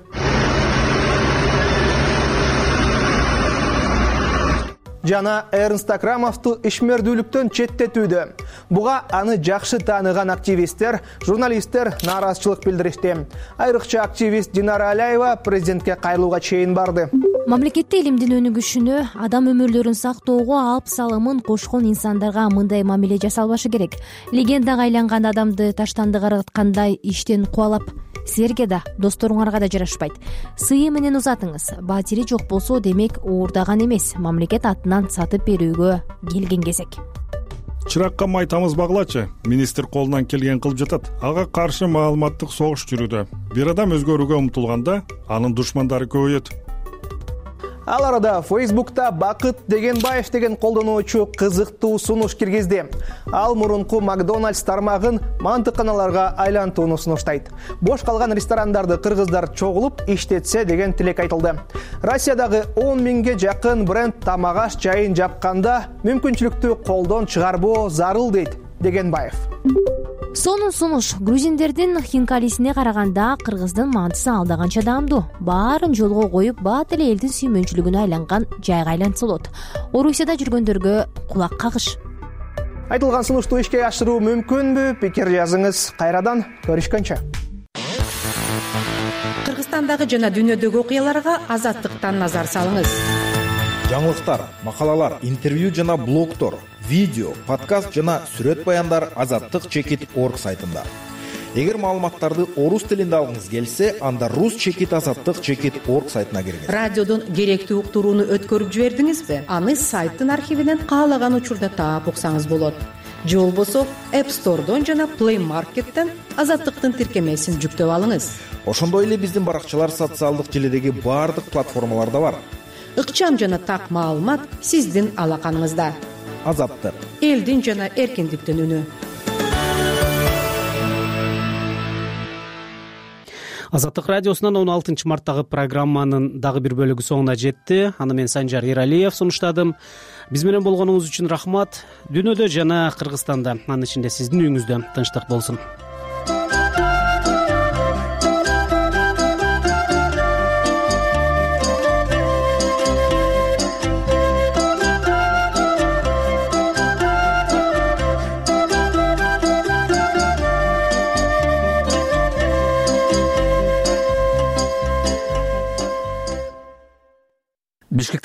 Жана Эрнст Акрамовду ишмердүүлүктөн четтетүүдө. Буга аны жакшы тааныган активисттер, журналисттер нааразычылык билдиришти. Айрыкча активист Динара Аляева президентке кайрылууга чейин барды. Мамлекетте илимдин өнүгүшүнө, адам өмүрлөрүн сактоого алп салымын кошкон инсандарга мындай мамиле жасалбашы керек. Легендага айланган адамды таштанды караткандай иштен кубалап, силерге да, досторуңарга да жарашпайт. Сыйы менен узатыңыз. Батири жок болсо, демек уурдаган эмес, мамлекет атынан сатып берүүгө келген кезек. Чыракка май тамызбагылачы. Министр колунан келген кылып жатат. Ага каршы маалыматтык согуш жүрүүдө. Бир адам өзгөрүүгө умтулганда, анын душмандары көбөйөт. Ал арада Facebook'та Бакыт Дегенбаев деген колдонуучу кызыктуу сунуш киргизди. Ал мурунку Макдональдс тармагын мантыканаларга айлантууну сунуштайт. Бош калган ресторандарды кыргыздар чогулуп иштетсе деген тилек айтылды. Россиядагы он миңге жакын бренд тамак-аш жайын жапканда мүмкүнчүлүктү колдон чыгарбоо зарыл дейт Дегенбаев. Сонун сунуш грузиндердин хинкалисине караганда кыргыздын мантысы алдаганча даамдуу. Баарын жолго коюп, бат эле элдин сүймөнчүлүгүнө айланган жайга айлантса болот. Орусияда жүргөндөргө кулак кагыш. Айтылган сунушту ишке ашыруу мүмкүнбү? Пикир жазыңыз. Кайрадан көрүшкөнчө. Кыргызстандагы жана дүйнөдөгү окуяларга Азаттыктан назар салыңыз. Жаңылыктар, макалалар, интервью жана блогдор видео, подкаст жана сүрөт баяндар азаттык чекит орг сайтында. Эгер маалыматтарды орус тилинде алгыңыз келсе, анда рус чекит азаттык чекит орг сайтына киргиз. Радиодон керектүү уктурууну өткөрүп жибердиңизби? Аны сайттын архивинен каалаган учурда таап уксаңыз болот. Же болбосо App Store'дон жана Play Market'тен азаттыктын тиркемесин жүктөп алыңыз. Ошондой эле биздин баракчалар социалдык желидеги баардык платформаларда бар. Ыкчам жана так маалымат сиздин алаканыңызда. Азаттык. Элдин жана эркиндиктин үнү. Азаттык радиосунан он алтынчы марттагы программанын дагы бир бөлүгү соңуна жетти. Аны мен Санжар Эралиев сунуштадым. Биз менен болгонуңуз үчүн рахмат. Дүйнөдө жана Кыргызстанда, анын ичинде сиздин үйүңүздө тынчтык болсун.